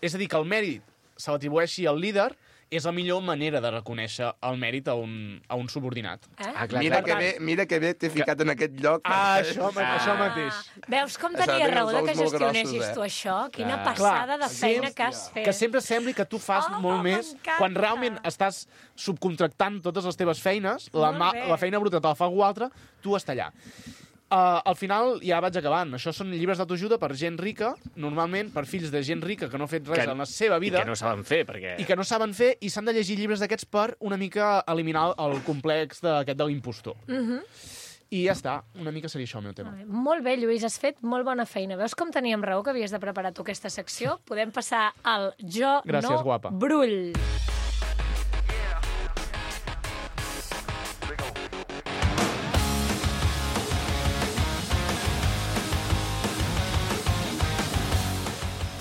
[SPEAKER 3] És a dir, que el mèrit se l'atribueixi al líder és la millor manera de reconèixer el mèrit a un, a un subordinat.
[SPEAKER 1] Eh?
[SPEAKER 4] Ah, clar,
[SPEAKER 5] Mira
[SPEAKER 4] clar.
[SPEAKER 5] que bé, mira que bé t'he ficat en aquest lloc.
[SPEAKER 3] Ah, això,
[SPEAKER 4] Ah.
[SPEAKER 3] això mateix.
[SPEAKER 1] Veus com
[SPEAKER 5] Això
[SPEAKER 1] tenia
[SPEAKER 5] tenia
[SPEAKER 1] raó
[SPEAKER 5] els
[SPEAKER 1] de
[SPEAKER 5] ous
[SPEAKER 1] que
[SPEAKER 5] molt
[SPEAKER 1] gestionessis
[SPEAKER 5] grossos, eh?
[SPEAKER 1] tu això? Quina
[SPEAKER 4] Clar.
[SPEAKER 1] passada
[SPEAKER 3] Clar,
[SPEAKER 1] de feina
[SPEAKER 3] sí,
[SPEAKER 1] que has fet.
[SPEAKER 3] Que sempre sembli que tu fas
[SPEAKER 1] Oh,
[SPEAKER 3] molt més
[SPEAKER 1] m'encanta.
[SPEAKER 3] quan realment estàs subcontractant totes les teves feines, la,
[SPEAKER 1] Molt
[SPEAKER 3] ma,
[SPEAKER 1] bé.
[SPEAKER 3] la feina bruta te la fa algú altre, tu està allà. Uh, al final ja vaig acabant. Això són llibres d'autoajuda per gent rica, normalment per fills de gent rica que no ha fet res
[SPEAKER 4] Que-
[SPEAKER 3] en la seva vida
[SPEAKER 4] I que no saben fer, perquè...
[SPEAKER 3] i que no saben fer, i s'han de llegir llibres d'aquests per una mica eliminar el complex d'aquest de l'impostor.
[SPEAKER 1] Mhm.
[SPEAKER 3] I ja està, una mica seria això el meu tema.
[SPEAKER 1] Molt bé, Lluís, has fet molt bona feina. Veus com teníem raó que havies de preparar tu aquesta secció? Podem passar al Jo
[SPEAKER 3] Gràcies,
[SPEAKER 1] no
[SPEAKER 3] guapa.
[SPEAKER 1] Brull.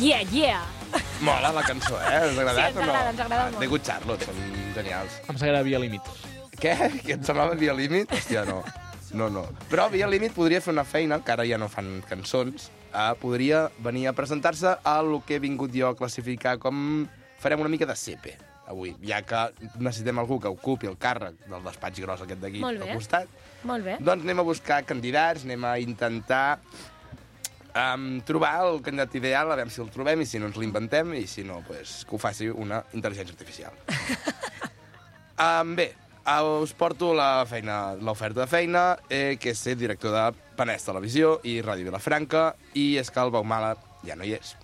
[SPEAKER 1] Yeah, yeah!
[SPEAKER 5] Mola la cançó, eh? Us ha agradat
[SPEAKER 1] Sí, ens
[SPEAKER 5] o no?
[SPEAKER 1] agrada, ens agrada
[SPEAKER 5] Ah,
[SPEAKER 1] molt.
[SPEAKER 5] The Good Charlotte, són genials.
[SPEAKER 3] Em sembla Via Límit.
[SPEAKER 5] Què? Que et semblava Via Límit? Hòstia, no. No, no. Però Via Límit podria fer una feina, que ara ja no fan cançons, eh, podria venir a presentar-se a lo que he vingut jo a classificar com... Farem una mica de C P, avui, ja que necessitem algú que ocupi el càrrec del despatx gros aquest d'aquí
[SPEAKER 1] Molt bé.
[SPEAKER 5] al costat.
[SPEAKER 1] Molt bé.
[SPEAKER 5] Doncs anem a buscar candidats, anem a intentar um, trobar el candidat ideal, a veure si el trobem i si no ens l'inventem i si no, pues, que ho faci una intel·ligència artificial. um, bé, uh, us porto la feina, l'oferta de feina, eh, que és ser director de Penedès Televisió i Ràdio Vilafranca, i és que el Baumala ja no hi és.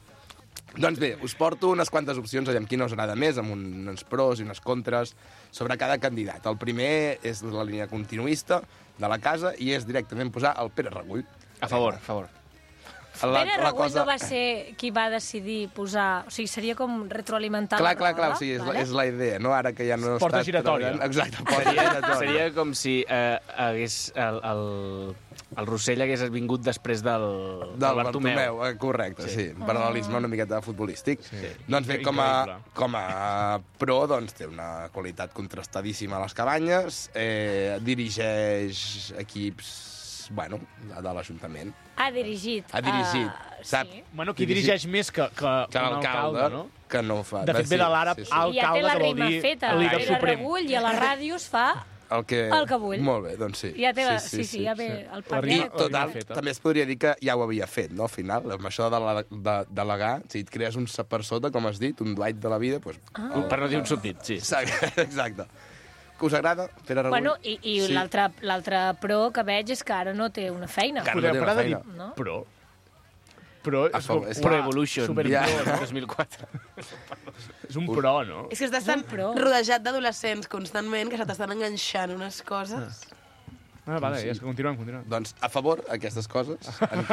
[SPEAKER 5] Doncs bé, us porto unes quantes opcions, aviam quina us agrada més, amb un, uns pros i unes contres sobre cada candidat. El primer és la línia continuista de la casa i és directament posar el Pere Regull.
[SPEAKER 4] A favor, a favor.
[SPEAKER 5] La,
[SPEAKER 1] Pere
[SPEAKER 5] la
[SPEAKER 1] Regull
[SPEAKER 5] cosa...
[SPEAKER 1] no va ser qui va decidir posar... O sigui, seria com retroalimentar
[SPEAKER 5] Clar,
[SPEAKER 1] la
[SPEAKER 5] clar, clar,
[SPEAKER 1] roda,
[SPEAKER 5] o sigui, és,
[SPEAKER 1] vale?
[SPEAKER 5] la, és la idea, no? Ara que ja no
[SPEAKER 3] Porta
[SPEAKER 5] està
[SPEAKER 3] giratòria.
[SPEAKER 5] treballant- Exacte, porta
[SPEAKER 4] Seria,
[SPEAKER 5] giratòria.
[SPEAKER 4] seria com si eh, hagués el, el, el Rossell hagués vingut després del,
[SPEAKER 5] Del Bartomeu, eh, correcte, sí. sí. Paral·lelisme una miqueta futbolístic. Sí. Doncs bé, com a,
[SPEAKER 3] Increïble.
[SPEAKER 5] com a pro, doncs, té una qualitat contrastadíssima a les cabanyes, eh, dirigeix equips, bueno, de l'Ajuntament.
[SPEAKER 1] Ha dirigit.
[SPEAKER 5] Ha dirigit,
[SPEAKER 1] uh,
[SPEAKER 5] sap?
[SPEAKER 1] Sí.
[SPEAKER 3] Bueno, qui
[SPEAKER 5] Dirigit-
[SPEAKER 3] dirigeix més que, que,
[SPEAKER 5] Que
[SPEAKER 3] un
[SPEAKER 5] l'alcalde,
[SPEAKER 3] alcalde, no?
[SPEAKER 5] que no fa...
[SPEAKER 3] De fet, ve de l'àrab
[SPEAKER 5] sí, sí.
[SPEAKER 3] al-
[SPEAKER 1] I ja té
[SPEAKER 3] alcalde,
[SPEAKER 1] la
[SPEAKER 3] que vol
[SPEAKER 1] rima
[SPEAKER 3] dir
[SPEAKER 1] feta.
[SPEAKER 3] el líder
[SPEAKER 1] Pere
[SPEAKER 3] suprem.
[SPEAKER 1] Regull, i a la ràdio es fa
[SPEAKER 5] El que...
[SPEAKER 1] el que vull.
[SPEAKER 5] Molt bé, doncs sí.
[SPEAKER 1] Ja té la... Sí, sí, ja ve el
[SPEAKER 5] I,
[SPEAKER 3] La
[SPEAKER 1] paquet.
[SPEAKER 3] rima-
[SPEAKER 5] total,
[SPEAKER 3] feta.
[SPEAKER 5] també es podria dir que ja ho havia fet, no?, al final, amb això de, la, de delegar, si et crees un per sota, com has dit, un Dwight de la vida, doncs...
[SPEAKER 1] Ah.
[SPEAKER 4] Per no dir un subdit, sí.
[SPEAKER 5] Exacte, exacte. Que us agrada, Pere Regull?
[SPEAKER 1] Bueno, i, i
[SPEAKER 5] Sí.
[SPEAKER 1] l'altre l'altre pro que veig és que ara no té una feina.
[SPEAKER 5] Que-
[SPEAKER 3] Podem
[SPEAKER 5] no té
[SPEAKER 3] parar de
[SPEAKER 5] feina.
[SPEAKER 3] dir
[SPEAKER 1] No?
[SPEAKER 3] pro. Pro
[SPEAKER 5] A
[SPEAKER 3] és,
[SPEAKER 5] favor,
[SPEAKER 3] com,
[SPEAKER 5] és-
[SPEAKER 3] uah,
[SPEAKER 4] Pro Evolution,
[SPEAKER 3] super
[SPEAKER 5] Ja.
[SPEAKER 3] pro, no?
[SPEAKER 4] dos mil quatre.
[SPEAKER 3] És un pro, no?
[SPEAKER 2] És que estàs tan
[SPEAKER 1] pro.
[SPEAKER 2] rodejat d'adolescents constantment que se t'estan enganxant unes coses.
[SPEAKER 3] Ah, vale, ja és que continuem, continuem.
[SPEAKER 5] Doncs a favor, aquestes coses. En,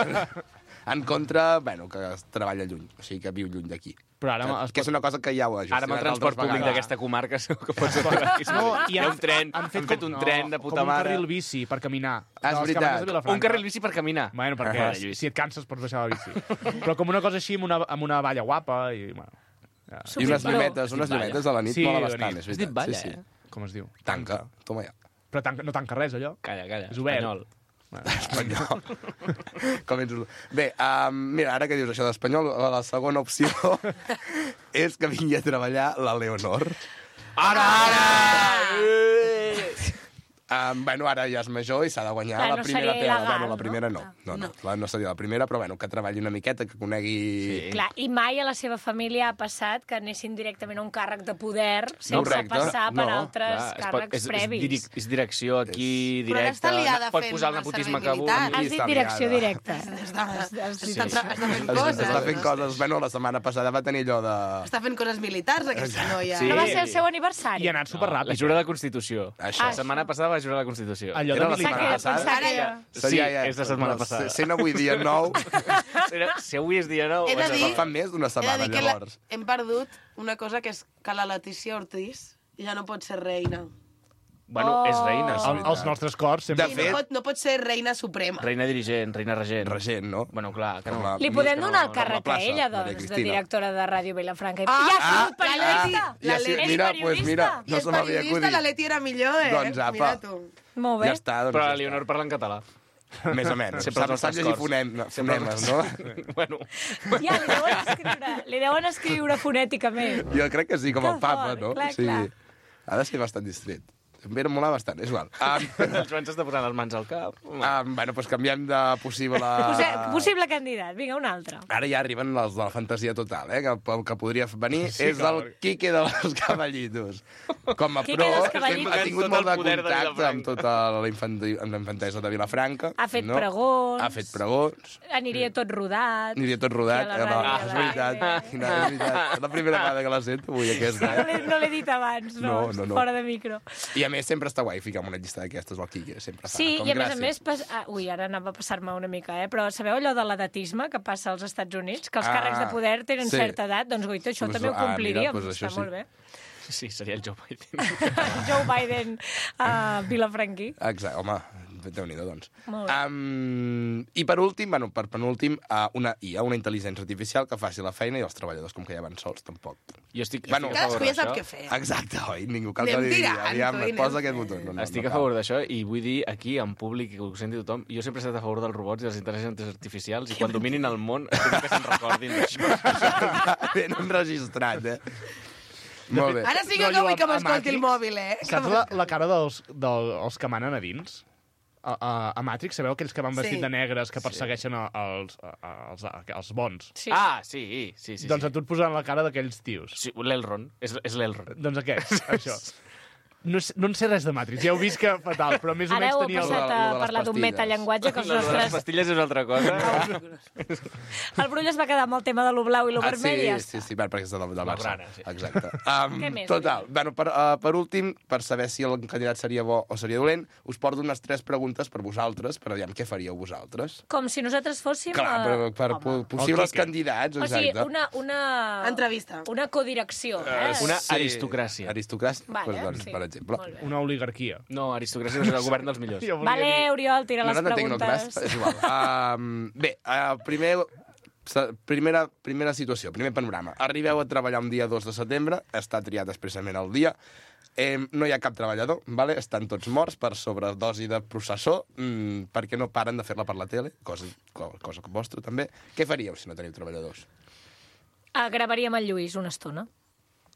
[SPEAKER 5] en contra, bueno, que es treballa lluny, o sigui, que viu lluny d'aquí.
[SPEAKER 3] Però ara...
[SPEAKER 5] Que,
[SPEAKER 3] es
[SPEAKER 5] que és una cosa que ja ho ha gestionat
[SPEAKER 4] Ara amb el transport
[SPEAKER 5] altres
[SPEAKER 4] públic
[SPEAKER 5] vegades.
[SPEAKER 4] d'aquesta comarca segur que pots arribar aquí.
[SPEAKER 3] No,
[SPEAKER 4] Hi ha un tren, han fet, fet un
[SPEAKER 3] no,
[SPEAKER 4] tren de puta
[SPEAKER 3] com un
[SPEAKER 4] mare.
[SPEAKER 3] carril bici per caminar.
[SPEAKER 5] Ah, és
[SPEAKER 3] De les
[SPEAKER 5] veritat.
[SPEAKER 3] cabanyes de Vilafranca.
[SPEAKER 4] Un carril bici per caminar.
[SPEAKER 3] Bueno, perquè
[SPEAKER 4] Ah,
[SPEAKER 3] si,
[SPEAKER 4] Lluís.
[SPEAKER 3] si et canses pots baixar la bici. Però com una cosa així, amb una, amb una valla guapa i... Bueno, ja.
[SPEAKER 5] I unes
[SPEAKER 1] Superpro.
[SPEAKER 5] llumetes, unes
[SPEAKER 4] Balla.
[SPEAKER 5] llumetes a la nit
[SPEAKER 3] Sí,
[SPEAKER 5] mola
[SPEAKER 3] de
[SPEAKER 5] bastant,
[SPEAKER 3] nit.
[SPEAKER 5] és
[SPEAKER 4] Has dit
[SPEAKER 5] veritat.
[SPEAKER 4] balla,
[SPEAKER 5] sí, sí.
[SPEAKER 4] eh?
[SPEAKER 3] Com es diu?
[SPEAKER 5] Tanca, toma ja.
[SPEAKER 3] Però tanca, no tanca res, allò?
[SPEAKER 4] Calla, calla.
[SPEAKER 3] És obert.
[SPEAKER 4] Espanyol.
[SPEAKER 5] Espanyol. Com ets... Bé, um, mira, ara que dius això d'espanyol, la segona opció és que vingui a treballar la Leonor.
[SPEAKER 4] Ara, ara!
[SPEAKER 5] Um, bueno, ara ja és major i s'ha de guanyar
[SPEAKER 1] Clar,
[SPEAKER 5] la
[SPEAKER 1] no
[SPEAKER 5] primera
[SPEAKER 1] seria
[SPEAKER 5] tela.
[SPEAKER 1] il·legal,
[SPEAKER 5] Bueno, la
[SPEAKER 1] no?
[SPEAKER 5] primera no. No, no, clar, no seria la primera, però bueno, que treballi una miqueta, que conegui...
[SPEAKER 4] Sí.
[SPEAKER 1] Clar, i mai a la seva família ha passat que anessin directament a un càrrec de poder sense
[SPEAKER 5] Correcte.
[SPEAKER 1] passar per
[SPEAKER 5] No,
[SPEAKER 1] altres
[SPEAKER 4] Clar, es pot-
[SPEAKER 1] càrrecs
[SPEAKER 4] és,
[SPEAKER 1] previs.
[SPEAKER 4] És, direc- és direcció aquí,
[SPEAKER 2] Però ara està
[SPEAKER 4] directa,
[SPEAKER 2] liada
[SPEAKER 4] pot
[SPEAKER 2] fent
[SPEAKER 4] posar el
[SPEAKER 2] el
[SPEAKER 4] nepotisme
[SPEAKER 2] servei
[SPEAKER 4] que
[SPEAKER 2] militar.
[SPEAKER 4] vulgui.
[SPEAKER 1] Has dit
[SPEAKER 5] està
[SPEAKER 1] direcció
[SPEAKER 5] liada.
[SPEAKER 1] directa.
[SPEAKER 2] Està,
[SPEAKER 1] Sí.
[SPEAKER 2] està, tra- està fent
[SPEAKER 5] Està,
[SPEAKER 2] coses.
[SPEAKER 5] està fent coses... Bueno, la setmana passada va tenir allò de...
[SPEAKER 2] Està fent coses militars, aquesta noia.
[SPEAKER 4] Sí.
[SPEAKER 1] No va ser el seu aniversari?
[SPEAKER 3] I ha anat
[SPEAKER 4] No,
[SPEAKER 3] superràpid.
[SPEAKER 4] la jura de la Constitució.
[SPEAKER 5] Això.
[SPEAKER 4] La setmana passada va jurar la Constitució.
[SPEAKER 3] Allò
[SPEAKER 5] Era
[SPEAKER 3] de
[SPEAKER 5] la
[SPEAKER 3] militar.
[SPEAKER 5] setmana
[SPEAKER 1] Pensava
[SPEAKER 5] passada?
[SPEAKER 1] que-
[SPEAKER 2] Ara ja.
[SPEAKER 4] Sí, és la setmana passada.
[SPEAKER 5] Sent avui dia nou,
[SPEAKER 4] Era- Si avui és dia nou...
[SPEAKER 2] He de
[SPEAKER 4] és
[SPEAKER 2] dir-
[SPEAKER 5] fa més d'una
[SPEAKER 2] He de
[SPEAKER 5] setmana,
[SPEAKER 2] dir que la,
[SPEAKER 5] llavors.
[SPEAKER 2] hem perdut una cosa que és que la Letícia Ortiz ja no pot ser reina.
[SPEAKER 4] Bueno, és reina,
[SPEAKER 3] El,
[SPEAKER 4] sí.
[SPEAKER 3] els nostres cors sempre...
[SPEAKER 5] De
[SPEAKER 2] I
[SPEAKER 5] fet-
[SPEAKER 2] no pot, no pot ser reina suprema.
[SPEAKER 4] Reina dirigent, reina regent.
[SPEAKER 5] Regent, no?
[SPEAKER 4] Bueno, clar, que
[SPEAKER 5] Com
[SPEAKER 4] no.
[SPEAKER 5] la-
[SPEAKER 1] Li
[SPEAKER 5] Més
[SPEAKER 1] podem
[SPEAKER 5] que
[SPEAKER 1] donar
[SPEAKER 5] no,
[SPEAKER 1] el càrrec
[SPEAKER 5] com la
[SPEAKER 1] a
[SPEAKER 5] plaça,
[SPEAKER 1] ella,
[SPEAKER 5] Maria
[SPEAKER 1] doncs, de
[SPEAKER 5] Cristina.
[SPEAKER 1] directora de Ràdio Vilafranca.
[SPEAKER 2] Ah,
[SPEAKER 1] I ja ha
[SPEAKER 5] ah,
[SPEAKER 1] sigut periodista!
[SPEAKER 5] ah, ja sí,
[SPEAKER 1] És
[SPEAKER 5] mira,
[SPEAKER 1] periodista?
[SPEAKER 5] pues mira,
[SPEAKER 2] I
[SPEAKER 5] no
[SPEAKER 2] és
[SPEAKER 5] se m'havia
[SPEAKER 2] periodista,
[SPEAKER 5] acudit.
[SPEAKER 2] la Leti era millor, eh?
[SPEAKER 5] Doncs, apa.
[SPEAKER 2] Mira tu.
[SPEAKER 1] Molt bé.
[SPEAKER 5] Ja està, doncs
[SPEAKER 4] Però
[SPEAKER 5] ja
[SPEAKER 4] la Leonor parla en català.
[SPEAKER 5] està. Més o menys.
[SPEAKER 4] Sempre els
[SPEAKER 5] Sap, sap
[SPEAKER 4] nostres
[SPEAKER 5] llegir
[SPEAKER 4] cors.
[SPEAKER 5] fonem, no,
[SPEAKER 4] Sempre
[SPEAKER 5] fonemes,
[SPEAKER 4] els
[SPEAKER 5] no?
[SPEAKER 4] Bueno,
[SPEAKER 1] Ja, li deuen escriure, li deuen escriure fonèticament.
[SPEAKER 5] Jo crec que sí, com el
[SPEAKER 1] Que
[SPEAKER 5] papa,
[SPEAKER 1] fort,
[SPEAKER 5] no?
[SPEAKER 1] clar,
[SPEAKER 5] Sí.
[SPEAKER 1] clar.
[SPEAKER 5] Ha de ser bastant distret. Em ve molar bastant, és igual. Um,
[SPEAKER 4] el Joan s'està posant les mans al cap.
[SPEAKER 5] um, bueno, doncs canviem de possible...
[SPEAKER 1] Possi possible candidat, vinga, un altre.
[SPEAKER 5] Ara ja arriben els de la fantasia total, eh? Que el que podria venir sí, és el Quique de los Caballitos. Com a
[SPEAKER 1] Quique
[SPEAKER 5] pro,
[SPEAKER 1] dels Caballitos.
[SPEAKER 5] ha tingut
[SPEAKER 4] Tot
[SPEAKER 5] molt
[SPEAKER 4] el
[SPEAKER 5] de
[SPEAKER 4] poder de
[SPEAKER 5] contacte
[SPEAKER 4] Vilafranca.
[SPEAKER 5] amb tota la, infanti amb la infantesa de Vilafranca.
[SPEAKER 1] Ha fet
[SPEAKER 5] no?
[SPEAKER 1] pregons.
[SPEAKER 5] Ha fet pregons.
[SPEAKER 1] Aniria tot rodat.
[SPEAKER 5] Aniria tot rodat.
[SPEAKER 1] I a la ràdio,
[SPEAKER 5] Ah,
[SPEAKER 1] a
[SPEAKER 5] és
[SPEAKER 1] la
[SPEAKER 5] veritat.
[SPEAKER 1] ràdio.
[SPEAKER 5] Quina, és veritat. És la primera vegada que la sento avui, aquesta.
[SPEAKER 1] No
[SPEAKER 5] Eh?
[SPEAKER 1] l'he no l'he dit abans, no,
[SPEAKER 5] No, no, no.
[SPEAKER 1] fora de micro.
[SPEAKER 5] I a més sempre està guai ficar una llista d'aquestes al Quique. Sempre fa
[SPEAKER 1] Sí,
[SPEAKER 5] com
[SPEAKER 1] i a més a
[SPEAKER 5] gràcia.
[SPEAKER 1] més... Pas... Ah, ui, ara anava a passar-me una mica, eh? Però sabeu allò de l'edatisme que passa als Estats Units? Que els
[SPEAKER 5] Ah,
[SPEAKER 1] càrrecs de poder tenen
[SPEAKER 5] sí.
[SPEAKER 1] certa edat? Doncs, goita, això
[SPEAKER 5] Pues,
[SPEAKER 1] també ho
[SPEAKER 5] ah, mira,
[SPEAKER 1] compliríem.
[SPEAKER 5] pues això
[SPEAKER 1] Està
[SPEAKER 5] sí.
[SPEAKER 1] molt bé.
[SPEAKER 4] Sí, seria el Joe Biden.
[SPEAKER 1] Joe Biden a Vilafranquí.
[SPEAKER 5] Exacte, home, déu-n'hi-do, doncs.
[SPEAKER 1] Molt bé.
[SPEAKER 5] Um, I per últim, bueno, per penúltim, uh, una I A, una intel·ligència artificial que faci la feina i els treballadors, com que ja van sols, tampoc.
[SPEAKER 4] Jo estic,
[SPEAKER 5] Bueno,
[SPEAKER 4] estic a favor
[SPEAKER 2] Cadascú ja sap
[SPEAKER 4] d'això.
[SPEAKER 2] què fer.
[SPEAKER 5] Exacte, oi? Ningú cal que
[SPEAKER 2] Anem
[SPEAKER 5] digui,
[SPEAKER 2] tirant,
[SPEAKER 5] aviam,
[SPEAKER 2] tu,
[SPEAKER 5] es
[SPEAKER 2] anem
[SPEAKER 5] posa aquest
[SPEAKER 2] fent.
[SPEAKER 5] botó. No, no,
[SPEAKER 4] Estic
[SPEAKER 5] no
[SPEAKER 4] a favor d'això i vull dir aquí, en públic, i que ho senti tothom, jo sempre he estat a favor dels robots i les intel·ligències artificials i quan dominin el món espero que se'n recordin d'això.
[SPEAKER 5] cal. Ben enregistrat, eh? Molt bé.
[SPEAKER 2] Ara sí que
[SPEAKER 3] Rotllo
[SPEAKER 2] no vull que
[SPEAKER 3] a- a
[SPEAKER 2] m'escolti el
[SPEAKER 3] Matrix.
[SPEAKER 2] mòbil, eh?
[SPEAKER 3] Saps la, la cara dels, dels que manen a dins? A, a, a Matrix, sabeu aquells que van vestit
[SPEAKER 2] Sí.
[SPEAKER 3] de negres que persegueixen a- als, a- als, els bons?
[SPEAKER 1] Sí.
[SPEAKER 4] Ah, sí, sí, sí.
[SPEAKER 3] Doncs
[SPEAKER 4] sí.
[SPEAKER 3] a tu et posaran la cara d'aquells tios.
[SPEAKER 4] Sí, l'Elrond, és, és l'Elrond.
[SPEAKER 3] Doncs aquests, això. No, sé- no en sé res de Matrix, ja heu vist que fatal, però més o
[SPEAKER 1] Ara
[SPEAKER 3] menys
[SPEAKER 1] heu
[SPEAKER 3] tenia... el-
[SPEAKER 1] passat
[SPEAKER 5] lo de
[SPEAKER 1] a
[SPEAKER 5] les
[SPEAKER 1] parlar d'un
[SPEAKER 5] pastilles.
[SPEAKER 1] metallenguatge que els
[SPEAKER 4] No, les
[SPEAKER 1] nostres...
[SPEAKER 4] pastilles és una altra cosa.
[SPEAKER 1] El Brull es va quedar amb el tema de lo blau i lo
[SPEAKER 5] Ah,
[SPEAKER 1] vermell i ja
[SPEAKER 5] sí, sí,
[SPEAKER 1] està.
[SPEAKER 5] sí, perquè és del, del Barça.
[SPEAKER 4] Blaugrana, sí.
[SPEAKER 5] Exacte. Um,
[SPEAKER 1] Què més,
[SPEAKER 5] total. Bueno, per, uh, per últim, per saber si el candidat seria bo o seria dolent, us porto unes tres preguntes per vosaltres, per aviam què faríeu vosaltres.
[SPEAKER 1] Com si nosaltres fóssim...
[SPEAKER 5] Clar,
[SPEAKER 1] eh,
[SPEAKER 5] per, per
[SPEAKER 1] home.
[SPEAKER 5] po- possibles
[SPEAKER 3] Quique.
[SPEAKER 5] candidats,
[SPEAKER 1] O sigui,
[SPEAKER 5] exacte.
[SPEAKER 1] una... una...
[SPEAKER 2] Entrevista.
[SPEAKER 1] Una codirecció, eh?
[SPEAKER 4] Una aristocràcia.
[SPEAKER 5] Aristocràcia,
[SPEAKER 1] Vale,
[SPEAKER 5] pues, doncs,
[SPEAKER 1] sí.
[SPEAKER 5] per exemple.
[SPEAKER 1] Molt bé.
[SPEAKER 3] Una oligarquia.
[SPEAKER 4] No, aristocràcia és el govern dels millors.
[SPEAKER 3] Jo volia
[SPEAKER 1] Vale,
[SPEAKER 3] dir-
[SPEAKER 1] Oriol, tira les
[SPEAKER 5] no, no, no,
[SPEAKER 1] preguntes.
[SPEAKER 5] tecnocràcia, és igual. Um, bé, uh, primer, sa- primera, primera situació, primer panorama. Arribeu a treballar un dia dos de setembre, està triat expressament el dia, eh, no hi ha cap treballador, vale? Estan tots morts per sobredosi de processó, mm, perquè no paren de fer-la per la tele, cosa, co- cosa vostra també. Què faríeu si no teniu treballadors?
[SPEAKER 1] Ah, gravaríem el Lluís una estona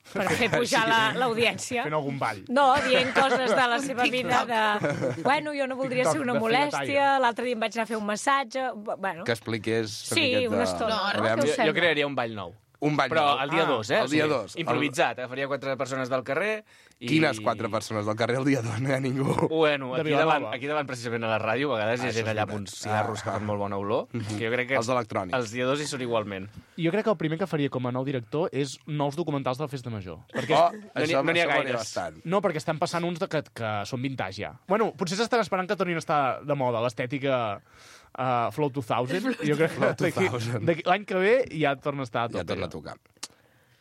[SPEAKER 1] per fer pujar la- l'audiència.
[SPEAKER 3] Fent algun ball.
[SPEAKER 1] No, dient coses de la seva vida de... Bueno, jo no voldria
[SPEAKER 3] TikTok
[SPEAKER 1] ser una
[SPEAKER 3] de
[SPEAKER 1] molèstia,
[SPEAKER 3] Figataire.
[SPEAKER 1] l'altre dia em vaig anar a fer un massatge... Bueno,
[SPEAKER 5] Que expliqués...
[SPEAKER 1] Sí, una estona. No, ara
[SPEAKER 5] Aviam,
[SPEAKER 1] què us
[SPEAKER 4] Jo,
[SPEAKER 1] sembla?
[SPEAKER 4] jo crearia un ball nou.
[SPEAKER 5] un ball
[SPEAKER 4] Però
[SPEAKER 5] nou.
[SPEAKER 4] el dia
[SPEAKER 3] Ah,
[SPEAKER 4] dos, eh?
[SPEAKER 5] el dia dos.
[SPEAKER 4] Improvisat. Agafaria quatre persones del carrer i...
[SPEAKER 5] Quines quatre persones del carrer el dia dos? No hi ha ningú.
[SPEAKER 4] Bueno,
[SPEAKER 3] De
[SPEAKER 4] aquí
[SPEAKER 3] Vilanova.
[SPEAKER 4] davant, aquí davant precisament a la ràdio, a vegades hi
[SPEAKER 5] Ah,
[SPEAKER 4] ha
[SPEAKER 5] això
[SPEAKER 4] gent
[SPEAKER 5] és
[SPEAKER 4] allà amb
[SPEAKER 5] veritat.
[SPEAKER 4] uns cigarros que fan molt bona olor, que jo crec que
[SPEAKER 5] Els electrònics.
[SPEAKER 4] els dia dos hi són igualment.
[SPEAKER 3] Jo crec que el primer que faria com a nou director és nous documentals de la Festa Major. Perquè
[SPEAKER 5] Oh,
[SPEAKER 3] és...
[SPEAKER 4] n'hi-
[SPEAKER 5] això,
[SPEAKER 4] no n'hi ha
[SPEAKER 5] això m'agrada
[SPEAKER 4] gaires.
[SPEAKER 5] bastant.
[SPEAKER 3] No, perquè estan passant uns de que, que són vintage ja. Bueno, potser s'estan esperant que tornin a estar de moda l'estètica uh, Flow dos mil. Jo crec que d'aquí-
[SPEAKER 5] dos mil.
[SPEAKER 3] d'aquí- l'any que ve ja torna a estar a
[SPEAKER 5] Ja
[SPEAKER 3] tope.
[SPEAKER 5] torna a tocar.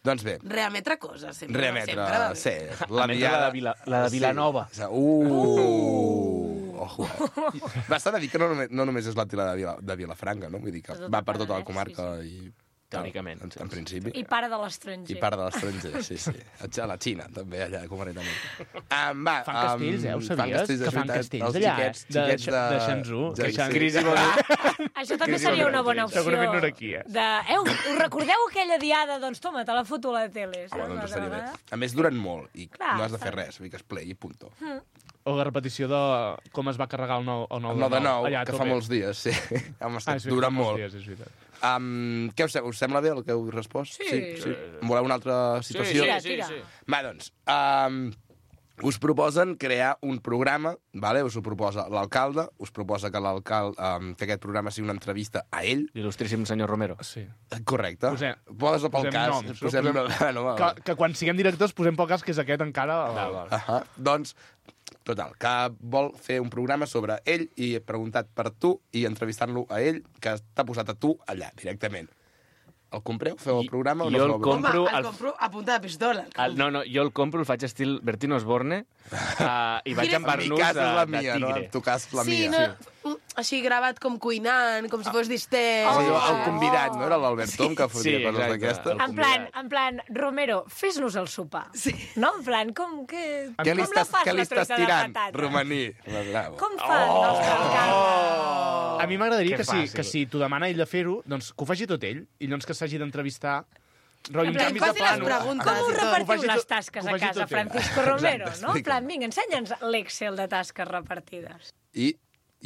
[SPEAKER 5] Doncs bé,
[SPEAKER 2] Reemetre coses, sempre.
[SPEAKER 5] reemetre,
[SPEAKER 2] Sempre va bé.
[SPEAKER 5] sí,
[SPEAKER 4] La, la, de Vila, la de Vilanova.
[SPEAKER 5] Sí. Uh! Ojo, eh? Bastant a dir que no només, no només és la tila de, Vila, de Vilafranca, no? Vull dir que
[SPEAKER 1] De tot
[SPEAKER 5] va
[SPEAKER 1] el
[SPEAKER 5] per tota la
[SPEAKER 1] Penedès,
[SPEAKER 5] comarca
[SPEAKER 1] sí,
[SPEAKER 5] i...
[SPEAKER 4] teòricament.
[SPEAKER 5] En, en principi.
[SPEAKER 1] I pare de l'estranger.
[SPEAKER 5] I part de l'estranger, sí, sí. A la Xina, també, allà, concretament. Um, va,
[SPEAKER 3] Fan castells, eh? Ho
[SPEAKER 5] um,
[SPEAKER 3] sabies?
[SPEAKER 5] castells,
[SPEAKER 3] Que
[SPEAKER 5] és
[SPEAKER 3] fan
[SPEAKER 5] veritat.
[SPEAKER 3] castells
[SPEAKER 5] Els
[SPEAKER 3] allà,
[SPEAKER 5] xiquets,
[SPEAKER 3] eh? De-
[SPEAKER 5] xiquets de...
[SPEAKER 3] de Shenzhou,
[SPEAKER 5] Ja,
[SPEAKER 3] que
[SPEAKER 5] sí.
[SPEAKER 3] Shenzhou.
[SPEAKER 4] Crisi vol dir...
[SPEAKER 1] Això també
[SPEAKER 4] Crisi
[SPEAKER 1] seria una
[SPEAKER 4] Valentí.
[SPEAKER 1] bona opció.
[SPEAKER 3] Segurament no era aquí, eh?
[SPEAKER 1] De, eh, us recordeu aquella diada? Doncs toma, te la foto a la tele.
[SPEAKER 5] Home, doncs
[SPEAKER 1] Una
[SPEAKER 5] estaria bé.
[SPEAKER 1] vegada.
[SPEAKER 5] A més, duren molt i
[SPEAKER 1] Clar,
[SPEAKER 5] no has de fer
[SPEAKER 1] està bé.
[SPEAKER 5] res, fiques play i punto.
[SPEAKER 3] O la repetició de com es va carregar el nou, el nou,
[SPEAKER 5] El nou de nou,
[SPEAKER 3] allà a
[SPEAKER 5] que
[SPEAKER 3] tope.
[SPEAKER 5] fa molts dies, sí. Home,
[SPEAKER 3] Ah,
[SPEAKER 5] ah,
[SPEAKER 3] sí,
[SPEAKER 5] dura
[SPEAKER 3] fa molts
[SPEAKER 5] molt.
[SPEAKER 3] Dies, és veritat.
[SPEAKER 5] Um, què us, sem- us sembla bé el que heu respost?
[SPEAKER 1] Sí.
[SPEAKER 5] sí, sí. Voleu una altra
[SPEAKER 4] Sí,
[SPEAKER 5] situació?
[SPEAKER 4] sí,
[SPEAKER 1] Tira,
[SPEAKER 4] sí,
[SPEAKER 1] tira.
[SPEAKER 4] sí.
[SPEAKER 5] Va, doncs, um, us proposen crear un programa, vale? Us ho proposa l'alcalde, us proposa que l'alcalde um, que aquest programa sigui una entrevista a ell.
[SPEAKER 4] Il·lustríssim senyor Romero.
[SPEAKER 3] Sí.
[SPEAKER 5] Correcte.
[SPEAKER 3] Posem-
[SPEAKER 5] Posa pel
[SPEAKER 3] posem
[SPEAKER 5] cas.
[SPEAKER 3] noms, no?
[SPEAKER 5] posem...
[SPEAKER 3] Posem-
[SPEAKER 5] Bueno, va, va.
[SPEAKER 3] Que, que quan siguem directors posem pel cas que és aquest encara...
[SPEAKER 4] Val, val.
[SPEAKER 5] Ahà. Doncs, total, que vol fer un programa sobre ell i he preguntat per tu i entrevistant-lo a ell, que t'ha posat a tu allà, directament. El compreu? Feu el programa o no
[SPEAKER 4] jo
[SPEAKER 5] feu
[SPEAKER 4] el
[SPEAKER 5] el programa?
[SPEAKER 4] compro
[SPEAKER 2] Home, el
[SPEAKER 4] al-
[SPEAKER 2] compro a punta de pistola.
[SPEAKER 4] El, no, no, jo el compro, el faig estil Bertín Osborne uh, i vaig
[SPEAKER 2] Quina-
[SPEAKER 4] amb
[SPEAKER 5] En mi
[SPEAKER 4] barnús
[SPEAKER 5] cas
[SPEAKER 4] de,
[SPEAKER 5] és la
[SPEAKER 4] de
[SPEAKER 5] mia, no?
[SPEAKER 4] tigre.
[SPEAKER 5] En tu cas la
[SPEAKER 2] sí,
[SPEAKER 5] mia.
[SPEAKER 2] no, un- així gravat com cuinant, com si fos distès.
[SPEAKER 5] Oh,
[SPEAKER 1] Oh.
[SPEAKER 5] el convidat, no? Era l'Albert Tom, que fotia
[SPEAKER 4] Sí,
[SPEAKER 5] coses
[SPEAKER 4] exacte.
[SPEAKER 5] d'aquestes.
[SPEAKER 4] El
[SPEAKER 1] En plan, en plan, Romero, fes-nos el sopar.
[SPEAKER 2] Sí.
[SPEAKER 1] No? En plan, com que...
[SPEAKER 5] Què li
[SPEAKER 1] com la
[SPEAKER 5] estàs,
[SPEAKER 1] fas,
[SPEAKER 5] què li
[SPEAKER 1] la
[SPEAKER 5] estàs
[SPEAKER 1] truita de
[SPEAKER 5] tirant,
[SPEAKER 1] patata?
[SPEAKER 5] romaní? Bravo.
[SPEAKER 1] Com fan oh! els calcars?
[SPEAKER 3] A mi m'agradaria
[SPEAKER 4] Que
[SPEAKER 3] que, si,
[SPEAKER 4] fàcil.
[SPEAKER 3] que si t'ho demana ell de fer-ho, doncs que ho faci tot ell, i llavors que s'hagi d'entrevistar... Rotllo,
[SPEAKER 1] En
[SPEAKER 3] un
[SPEAKER 1] plan,
[SPEAKER 3] canvi
[SPEAKER 2] que
[SPEAKER 3] de
[SPEAKER 2] faci les
[SPEAKER 3] plano.
[SPEAKER 2] preguntes.
[SPEAKER 1] Com us
[SPEAKER 2] i tot.
[SPEAKER 3] Ho
[SPEAKER 1] repartiu
[SPEAKER 3] faci
[SPEAKER 1] les
[SPEAKER 3] tot-
[SPEAKER 1] tasques
[SPEAKER 3] ho
[SPEAKER 1] a
[SPEAKER 3] faci
[SPEAKER 1] casa,
[SPEAKER 3] tot ell.
[SPEAKER 1] Francisco Romero, no? En
[SPEAKER 5] explica'm.
[SPEAKER 1] plan, vinga, ensenya'ns l'Excel de tasques repartides.
[SPEAKER 5] I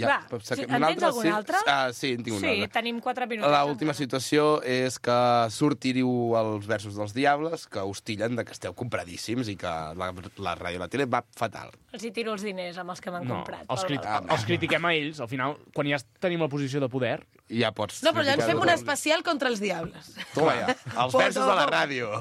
[SPEAKER 5] ja,
[SPEAKER 1] Va,
[SPEAKER 5] però
[SPEAKER 1] sí,
[SPEAKER 5] que-
[SPEAKER 1] en
[SPEAKER 5] un
[SPEAKER 1] tens
[SPEAKER 5] altre,
[SPEAKER 1] algun
[SPEAKER 5] sí?
[SPEAKER 1] altre?
[SPEAKER 5] Ah, sí, en tinc un
[SPEAKER 1] Sí,
[SPEAKER 5] altre.
[SPEAKER 1] tenim quatre minuts.
[SPEAKER 5] L'última situació és que sortiriu els versos dels Diables, que us tillen de que esteu compradíssims i que la, la ràdio i la tele va fatal.
[SPEAKER 1] Els hi tiro els diners amb els que m'han
[SPEAKER 3] No,
[SPEAKER 1] comprat.
[SPEAKER 3] els,
[SPEAKER 1] pel
[SPEAKER 3] crit
[SPEAKER 1] balcó.
[SPEAKER 3] els critiquem a ells, al final, quan ja tenim la posició de poder,
[SPEAKER 5] I ja pots...
[SPEAKER 2] No, però ja ens fem un
[SPEAKER 5] criticar-ho.
[SPEAKER 2] especial contra els diables.
[SPEAKER 5] Toma ja, els versos de la ràdio.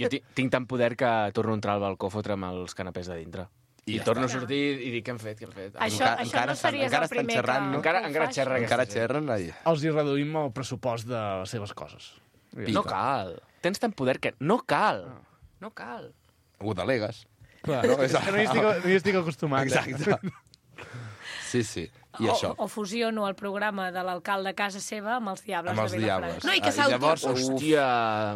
[SPEAKER 4] Jo tinc, tinc tant poder que torno a entrar al balcó a fotre'm els canapés de dintre. I,
[SPEAKER 5] I
[SPEAKER 4] I
[SPEAKER 5] ja
[SPEAKER 4] torno
[SPEAKER 5] està.
[SPEAKER 4] a sortir i dic, què hem fet, què hem fet?
[SPEAKER 1] Això,
[SPEAKER 5] Encara-
[SPEAKER 1] això
[SPEAKER 5] encara
[SPEAKER 1] no
[SPEAKER 5] estan-
[SPEAKER 1] series
[SPEAKER 5] encara
[SPEAKER 1] el
[SPEAKER 5] estan
[SPEAKER 1] primer
[SPEAKER 5] xerrant,
[SPEAKER 1] que,
[SPEAKER 5] no?
[SPEAKER 4] Encara-
[SPEAKER 1] que ho
[SPEAKER 4] encara
[SPEAKER 1] faci.
[SPEAKER 4] xerra
[SPEAKER 5] Encara
[SPEAKER 4] aquesta gent.
[SPEAKER 5] xerren, ai.
[SPEAKER 3] els hi reduïm el pressupost de les seves coses.
[SPEAKER 5] Pica.
[SPEAKER 4] No cal. Tens tant poder que... No cal. No cal.
[SPEAKER 5] Ho delegues.
[SPEAKER 3] Clar,
[SPEAKER 5] No, és-
[SPEAKER 3] és que no hi estic, no hi estic acostumat. eh?
[SPEAKER 5] Exacte. Sí, sí. I
[SPEAKER 1] o,
[SPEAKER 5] això.
[SPEAKER 1] o fusiono el programa de l'alcalde a casa seva amb els Diables
[SPEAKER 5] Amb els
[SPEAKER 1] de Vilafranca.
[SPEAKER 5] Diables.
[SPEAKER 2] No, i que
[SPEAKER 5] Ah,
[SPEAKER 2] s'auto-
[SPEAKER 5] llavors, uf,
[SPEAKER 4] Hòstia...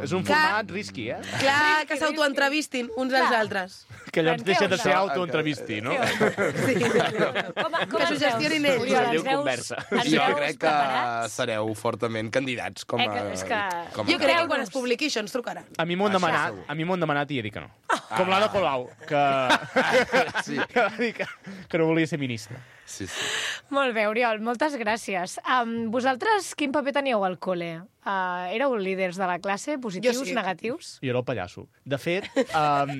[SPEAKER 3] És un format risky, eh?
[SPEAKER 2] Clar, que s'autoentrevistin uns als
[SPEAKER 1] Clar.
[SPEAKER 2] altres.
[SPEAKER 3] Que allò
[SPEAKER 1] Què
[SPEAKER 3] deixa de
[SPEAKER 1] us
[SPEAKER 3] ser
[SPEAKER 1] sap?
[SPEAKER 3] autoentrevisti, no?
[SPEAKER 2] Sí.
[SPEAKER 1] Com, com
[SPEAKER 2] Que
[SPEAKER 1] ens
[SPEAKER 2] s'ho gestionin
[SPEAKER 1] veus,
[SPEAKER 2] ells.
[SPEAKER 1] Oriol,
[SPEAKER 4] Es diu
[SPEAKER 1] ens veus-
[SPEAKER 4] conversa.
[SPEAKER 1] ens
[SPEAKER 5] Jo
[SPEAKER 1] veus
[SPEAKER 5] crec que
[SPEAKER 1] preparats?
[SPEAKER 5] sereu fortament candidats com a...
[SPEAKER 1] Eh, que- és que-
[SPEAKER 5] com a...
[SPEAKER 2] Jo crec que
[SPEAKER 1] Creu-nos.
[SPEAKER 2] quan es publiqui això ens trucaran.
[SPEAKER 3] A mi m'ho han
[SPEAKER 5] Això
[SPEAKER 3] demanat,
[SPEAKER 5] segur.
[SPEAKER 3] a mi m'ho han demanat i he dit que no. Com l'Ada Colau, que...
[SPEAKER 5] Sí.
[SPEAKER 3] que va dir que, que no volia ser ministre.
[SPEAKER 5] Sí, sí.
[SPEAKER 1] Molt bé, Oriol, moltes gràcies. Um, vosaltres quin paper teníeu al col·le? Uh, éreu líders de la classe? Positius,
[SPEAKER 2] Jo sí.
[SPEAKER 1] negatius?
[SPEAKER 3] I era el pallasso. De fet, um,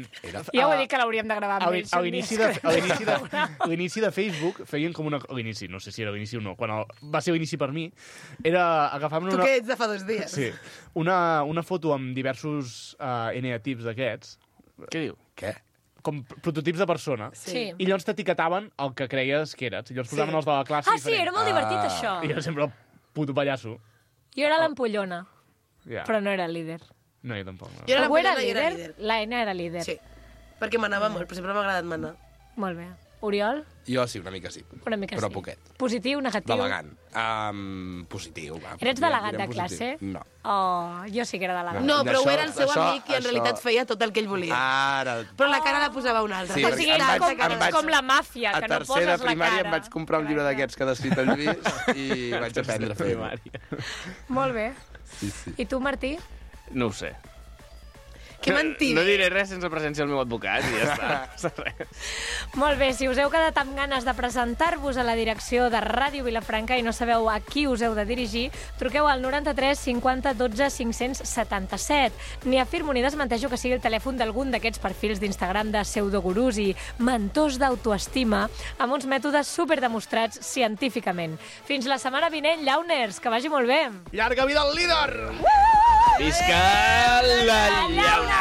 [SPEAKER 1] Ja ho he dit que l'hauríem de gravar
[SPEAKER 3] a
[SPEAKER 1] amb
[SPEAKER 3] l'in-
[SPEAKER 1] ells.
[SPEAKER 3] a
[SPEAKER 1] un
[SPEAKER 3] l'inici
[SPEAKER 1] dia.
[SPEAKER 3] de, a l'inici de, a l'inici de Facebook feien com una... a l'inici, no sé si era l'inici o no, quan el, va ser l'inici per mi, era agafar-me
[SPEAKER 2] Tu
[SPEAKER 3] una...
[SPEAKER 2] que ets de fa dos dies.
[SPEAKER 3] Sí, una, una foto amb diversos uh, N A tips d'aquests,
[SPEAKER 4] Què diu?
[SPEAKER 5] Què?
[SPEAKER 3] com prototips de persona,
[SPEAKER 1] Sí.
[SPEAKER 3] i llavors t'etiquetaven el que creies que eres. I llavors posaven els de la classe
[SPEAKER 1] Ah, sí, era
[SPEAKER 3] diferents.
[SPEAKER 1] molt divertit,
[SPEAKER 5] Ah.
[SPEAKER 1] això.
[SPEAKER 3] I jo sempre el puto pallasso.
[SPEAKER 1] Jo era l'ampollona,
[SPEAKER 3] Ja.
[SPEAKER 1] però no era líder.
[SPEAKER 3] No, jo tampoc. No.
[SPEAKER 2] Jo era la
[SPEAKER 1] Algú era
[SPEAKER 2] Pollona i era
[SPEAKER 1] líder?
[SPEAKER 2] líder.
[SPEAKER 1] La N era líder.
[SPEAKER 2] Sí, perquè manava molt, però sempre m'ha agradat manar.
[SPEAKER 1] Molt bé. Oriol?
[SPEAKER 5] Jo sí, una mica sí.
[SPEAKER 1] Una mica
[SPEAKER 5] Però
[SPEAKER 1] sí.
[SPEAKER 5] poquet.
[SPEAKER 1] Positiu, negatiu?
[SPEAKER 5] Delegant. Um, positiu. Va,
[SPEAKER 1] Eres
[SPEAKER 5] direm-
[SPEAKER 1] delegat de
[SPEAKER 5] direm positiu.
[SPEAKER 1] classe?
[SPEAKER 5] No.
[SPEAKER 1] Oh, jo sí que era delegat.
[SPEAKER 2] No, però
[SPEAKER 5] D'això-
[SPEAKER 2] ho era el seu
[SPEAKER 5] d'això-
[SPEAKER 2] amic i en
[SPEAKER 5] això-
[SPEAKER 2] realitat feia tot el que ell volia.
[SPEAKER 5] Ara...
[SPEAKER 2] Però la cara la posava un altre.
[SPEAKER 5] Sí,
[SPEAKER 1] o
[SPEAKER 5] perquè
[SPEAKER 1] sigui,
[SPEAKER 5] em
[SPEAKER 1] ets
[SPEAKER 5] vaig-
[SPEAKER 1] com,
[SPEAKER 5] em
[SPEAKER 1] ets
[SPEAKER 5] vaig-
[SPEAKER 1] com la màfia,
[SPEAKER 5] A
[SPEAKER 1] que no
[SPEAKER 5] tercera
[SPEAKER 1] poses la
[SPEAKER 5] primària
[SPEAKER 1] cara.
[SPEAKER 5] em vaig comprar un llibre d'aquests que ha descrit el Lluís i vaig aprendre a fer-ho.
[SPEAKER 1] Molt bé.
[SPEAKER 5] Sí, sí.
[SPEAKER 1] I tu, Martí?
[SPEAKER 4] No ho sé.
[SPEAKER 2] Que mentida.
[SPEAKER 4] No diré res sense presència del meu advocat i ja està. Res.
[SPEAKER 1] Molt bé, si us heu quedat amb ganes de presentar-vos a la direcció de Ràdio Vilafranca i no sabeu a qui us heu de dirigir, truqueu al noranta-tres cinquanta dotze cinc-cents setanta-set. Ni afirmo ni desmenteixo que sigui el telèfon d'algun d'aquests perfils d'Instagram de pseudogurus i mentors d'autoestima amb uns mètodes superdemostrats científicament. Fins la setmana vinent, llauners, que vagi molt bé.
[SPEAKER 3] Llarga vida al líder!
[SPEAKER 4] Visca la llauna!